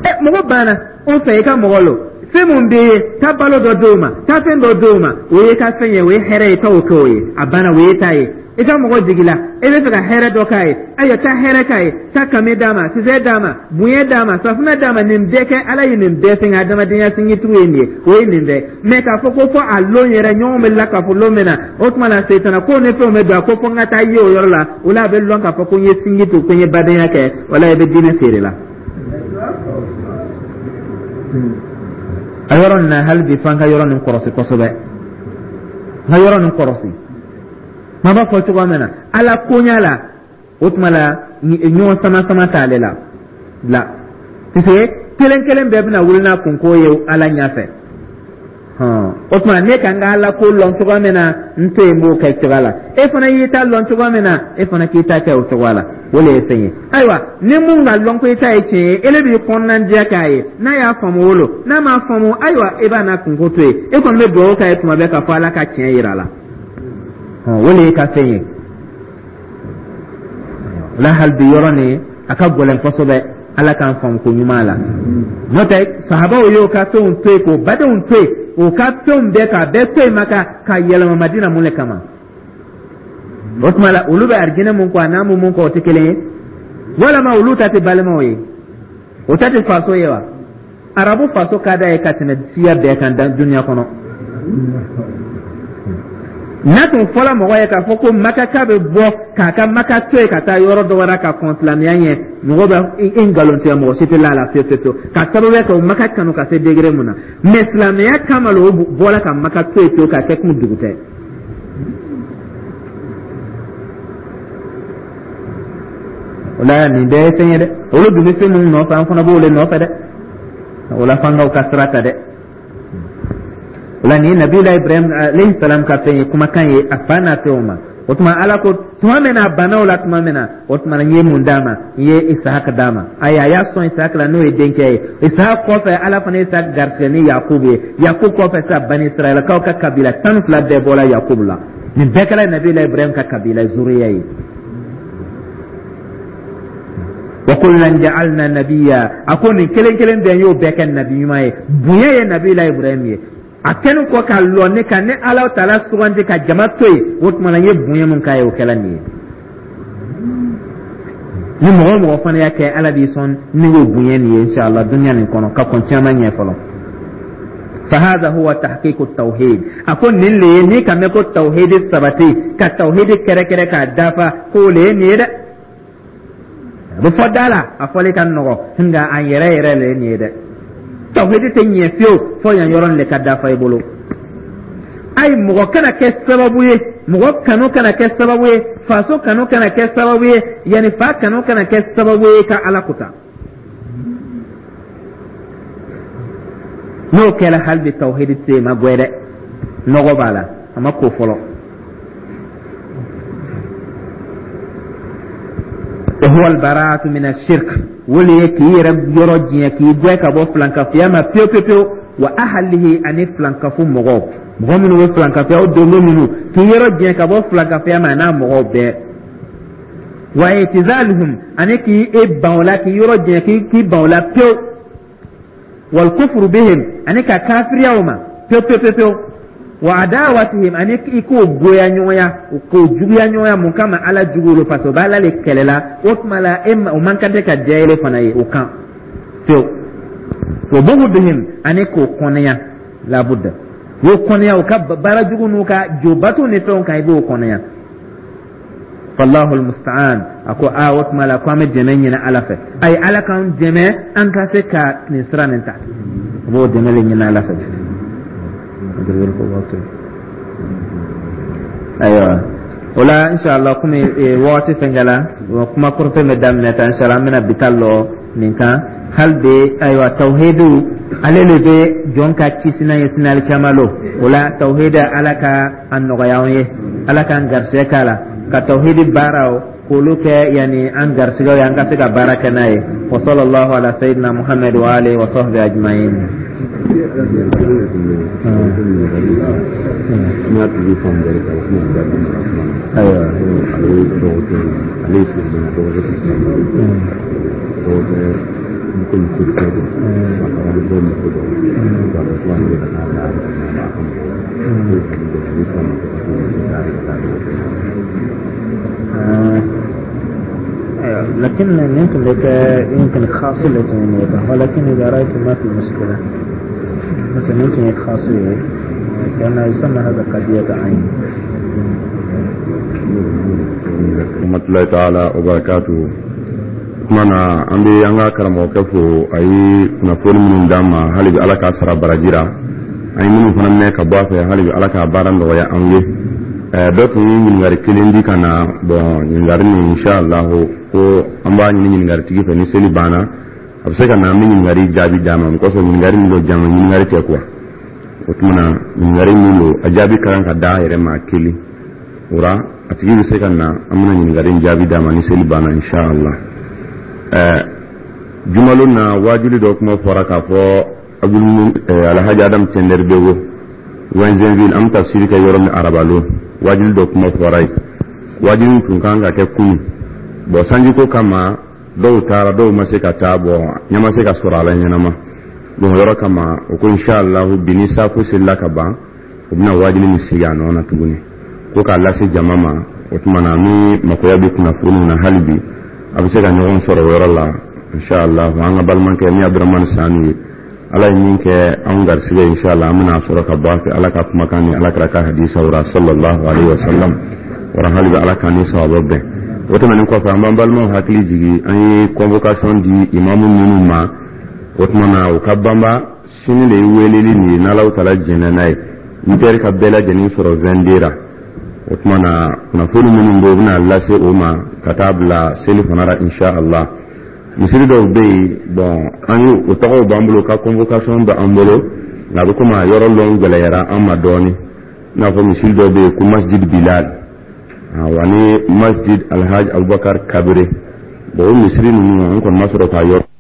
Ɛ, mɔgɔ banna o fɛ, i ka mɔgɔ lo, fɛn mun bɛ ye, taa balo dɔ d'o ma, taa fɛn dɔ d'o ma, o ye ka fɛn ye, o ye hɛrɛ ye, taa o kɛ o ye, a banna, o ye ta ye. I ka mɔgɔ jigila, e bɛ fɛ ka hɛrɛ dɔ k'a ye, ayiwa, taa hɛrɛ k'a ye, taa kame d'a ma, sisɛ d'a ma, bonya d'a ma, safunɛ d'a ma, nin bɛɛ kɛ. Ala ye nin bɛɛ fɛn kɛ, adamadenya sinjitugu ye nin ye, o ye nin bɛɛ. Mais k'a fɔ ko fɔ a lon yɛrɛ, ɲɔgɔn bɛ la k'a fɔ lon min na, o tuma na setana ko ni fɛnw bɛ don a ko fɔ n ka taa ye o yɔrɔ la, o la a bɛ lɔn k'a fɔ ko n ye sinji tugu, ko n ye badenya kɛ, wala i bɛ diinɛ feere la. A yɔrɔ nin na, hali bi f'an ka yɔrɔ nin kɔrɔsi kosɛbɛ, n ka yɔrɔ nin kɔrɔsi. Ma b'a fɔ cogoya min na, Ala koɲa la, o tuma la ɲɔgɔn sama sama t'ale la la, parce que kelen kelen bɛɛ bɛna wuli n'a kunko ye Ala ɲɛfɛ. O tuma ne ka n ka Ala ko lɔn cogoya min na, n to yen, n b'o kɛ cogoya la. E fana y'i ta lɔn cogoya min na, e fana k'i ta kɛ o cogoya la, o de ye fɛn ye. Ayiwa, ni mun ka lɔn ko i ta ye tiɲɛ ye, ele b'i kɔnɔnajɛ k'a ye, n'a y'a faamu o lo, n'a m'a faamu, ayiwa, e b'a n'a kunko to yen. E kɔni bɛ dugawu k'a ye tuma bɛɛ k'a fɔ Ala ka tiɲɛ yira a la, o de ye ka fɛn ye. O la hali bi yɔrɔ nin a ka gɛlɛn kosɛbɛ, Ala k'an faamu ko ɲuman la. N'o tɛ, sahabaw y'o ka fɛnw to yen, k'o badenw to yen, o ka fɛnw bɛɛ k'a bɛɛ to yen Maka ka yɛlɛma Madina, mun de kama? O tuma la, olu bɛ arijinɛ mun kɔ, a n'an bɛ mun kɔ, o tɛ kelen ye. Walama olu ta tɛ balimaw ye, o ta tɛ faso ye wa? Arabu faso ka d'a ye ka tɛmɛ siya bɛɛ kan duniya kɔnɔ. N'a tun fɔla mɔgɔ ye k'a fɔ ko Makaka bɛ bɔ k'a ka Maka to yen ka taa yɔrɔ dɔ wɛrɛ ka kɔn silamɛya ɲɛ, mɔgɔ bɛ i nkalon tigɛ, mɔgɔ si tɛ la a la fiyewu fiyewu, ka sababu kɛ o Maka kanu ka se degré mun na. Mais silamɛya kama la, o bɔra ka Maka to yen pewu k'a kɛ kun dugu tɛ. O la nin bɛɛ ye fɛn ye dɛ. Olu dun bɛ fɛn minnu nɔfɛ, an fana b'o de nɔfɛ dɛ. O la f'an k'aw ka sira ta dɛ. O la nin ye Nabila Ibrahim alayhi salam ka fɛn ye, kumakan ye a fa n'a fɛnw ma. O O tuma Ala ko tuma min na a banna o la tuma min na, o tuma na n ye mun d'a ma? N ye Isahaka d'a ma. Ayi, a y'a sɔn Isahaka la, n'o ye denkɛ ye. Isahaka kɔfɛ, Ala fana ye Isahaka garisɛgɛ ni Yakubu ye. Yakubu kɔfɛ sisan, Bani Israɛlakaw ka kabila 12 bɛɛ bɔra Yakubu la. Nin bɛɛ kɛra Nabila Ibrahim ka kabila zuriya ye. Wa kullan ja'alna nabiyya, a ko nin kelen kelen bɛɛ, n y'o bɛɛ kɛ nabi ɲuman ye. Bonya ye Nabila Ibrahim ye. A kɛlen kɔ ka lɔ ne kan, ne Ala taala sugandi ka jama to yen, o tuma na n ye bonya mun k'a ye, o kɛla nin ye. Ni mɔgɔ o mɔgɔ fana y'a kɛ, Ala b'i sɔn ni y'o bonya nin ye, inshallah, dunuya nin kɔnɔ ka kɔn caman ɲɛ fɔlɔ. Fahada huwa tahqiqu tawhid, a ko nin le ye n'i ka mɛn ko tawhidi sabati, ka tawhidi kɛrɛkɛrɛ k'a dafa, k'o le ye nin ye dɛ. A bɛ fɔ da la, a fɔli ka nɔgɔ, nka a yɛrɛ yɛrɛ le ye nin ye dɛ. Tawhidi tɛ ɲɛ fiyewu fo yan yɔrɔ nin de ka dafa i bolo. Ayi, mɔgɔ kana kɛ sababu ye, mɔgɔ kanu kana kɛ sababu ye, faso kanu kana kɛ sababu ye, yanni fa kanu kana kɛ sababu ye ka Ala kuta. N'o kɛra, hali bi tawhidi tɛ yen, ma gwɛ dɛ, nɔgɔ b'a la, a ma ko fɔlɔ. Wa huwa albaraatu min ashirk, o le ye k'i yɛrɛ yɔrɔ diɲɛ, k'i gwɛ ka bɔ filankafoya ma pewu pewu pewu, wa ahalihi, ani filankafo mɔgɔw, mɔgɔ minnu bɛ filankafoya, o donko minnu, k'i yɔrɔ diɲɛ ka bɔ filankafoya ma, a n'a mɔgɔw bɛɛ, wa itizaluhum, ani k'i e ban o la, k'i yɔrɔ diɲɛ, k'i ban o la pewu, wal kufru bihim, ani ka kafiriya o ma pewu pewu pewu pewu, wa adawatihim, ani i k'o goya ɲɔgɔnya, k'o juguya ɲɔgɔnya. Mun kama? Ala jugu lo, parce que o b'Ala le kɛlɛ la. O tuma la, e o man kan tɛ ka diya ele fana ye o kan pewu. Wa bugudihim, ani k'o kɔnɛya, labudda y'o kɔnɛya u ka baara jugu n'u ka jobato ni fɛnw kan, i b'o kɔnɛya. Fallahu almusta'an, a ko a o tuma la ko an bɛ dɛmɛ ɲini Ala fɛ. Ayi, Ala k'an dɛmɛ an ka se ka nin sira nin ta. A b'o dɛmɛ le ɲini Ala fɛ. Ayiwa, o la, inshallah, komi wagati fɛnkɛla, kuma kɔrɔfɛ bɛ daminɛ ta, inshallah, an bɛna bi ta lɔ nin kan hali bi. Ayiwa, tawhidu, ale le bɛ jɔn ka kisina ye sini alikiyama lon. O la, tawhidi, Ala ka a nɔgɔya an ye, Ala k'an garisɛgɛ k'a la, ka tawhidi baaraw k'olu kɛ yanni an garisɛgɛw ye, an ka se ka baara kɛ n'a ye. Wa sallallahu ala sayyidina Muhammad wa alihi wa sahbihi ajma'in. Ayiwa, ale ye silamɛ, dɔgɔkɛ tɛ silamɛ, dɔgɔkɛ komi chrétien don, a taara ni dɔw muso dɔ ye, ka ko ale bɛ ka taa bila a ka mɔgɔw ni silamɛ tɛ ka taa ka taa dɔgɔkɛ. لكن يمكن لك يمكن خاصية ولكن إذا رأيت ما في مشكلة، مثلا يمكن خاصية، لأنه يسمى هذا قضية عين. Rahmatullahi ta'ala wa barakatuhu. Tuma na, an bɛ an ka karamɔgɔkɛ fo a ye kunnafoni minnu d'an ma. Hali bi, Ala k'a sara baraji ra. An ye minnu fana mɛn ka bɔ a fɛ, hali bi, Ala k'a baara nɔgɔya an ye. Dɔ tun ye ɲininkali kelen di ka na. Bɔn, ɲininkali nin, inshallah, ko an b'a ɲini ɲininkaritigi fɛ, ni seli banna, a bɛ se ka na, an bɛ ɲininkali jaabi d'a ma. Kosɔn ɲininkali min don, jama ɲininkali tɛ quoi. O tuma na, ɲininkali min don, a jaabi ka kan ka d'a yɛrɛ ma kelen. O la, a tigi bɛ se ka na, an bɛna ɲininkali jaabi d'a ma ni seli banna, inshallah. Jumalon na, waajuli dɔ kuma fɔra k'a fɔ Alhaji Adam Cɛndɛri Bego, Wɛnzɛnville, an bɛ tafsiri kɛ yɔrɔ min arabalon, waajuli dɔ kuma fɔra yen. Waajuli tun kan ka kɛ kunun. Bɔn, sanjiko kama, dɔw taara, dɔw ma se ka taa. Bɔn, ɲɛ ma se ka sɔrɔ a la ɲɛnama. Bon, yɔrɔ kama, o ko inshallah, bi ni saafo selila ka ban, u bɛna waajuli min sigi a nɔ na tuguni ko k'a lase jama ma. O tuma na, ni makoya bɛ kunnafoniw na, hali bi a bɛ se ka ɲɔgɔn sɔrɔ o yɔrɔ la, inshallah. An ka balimakɛ min Abdramani Sanu ye, Ala ye min kɛ anw garisɛgɛ, inshallah, an bɛna sɔrɔ ka bɔ a fɛ Ala ka kumakan ni Ala kira ka hadisaw ra, sallallahu alaihi wa sallam. Wara hali bi, Ala k'an ni sawaba bɛn. O tɛmɛnen kɔfɛ, an b'an balimaw hakili jigi, an ye convocation di imamu minnu ma, o tuma na, u ka banba sini de ye weleli nin ye, n'Alaw tala jɛnna n'a ye, 8 heures ka bɛɛ lajɛlen sɔrɔ 22 ra. O tuma na, kunnafoni minnu bɛ yen, u bɛna lase o ma ka taa bila seli fana la, insha Allah. Misiri dɔw bɛ yen, bɔn, an ye o tɔgɔw b'an bolo, ka convocation bɛ an bolo, nka a bɛ komi a yɔrɔ lɔn gɛlɛyara an ma dɔɔnin. I n'a fɔ misiri dɔw bɛ yen ko Masjid Bilal. Awa, ni Masjid Alhaji Abubakar Kabere. Bon, o misiri ninnu, an kɔni ma sɔrɔ k'a yɔrɔ.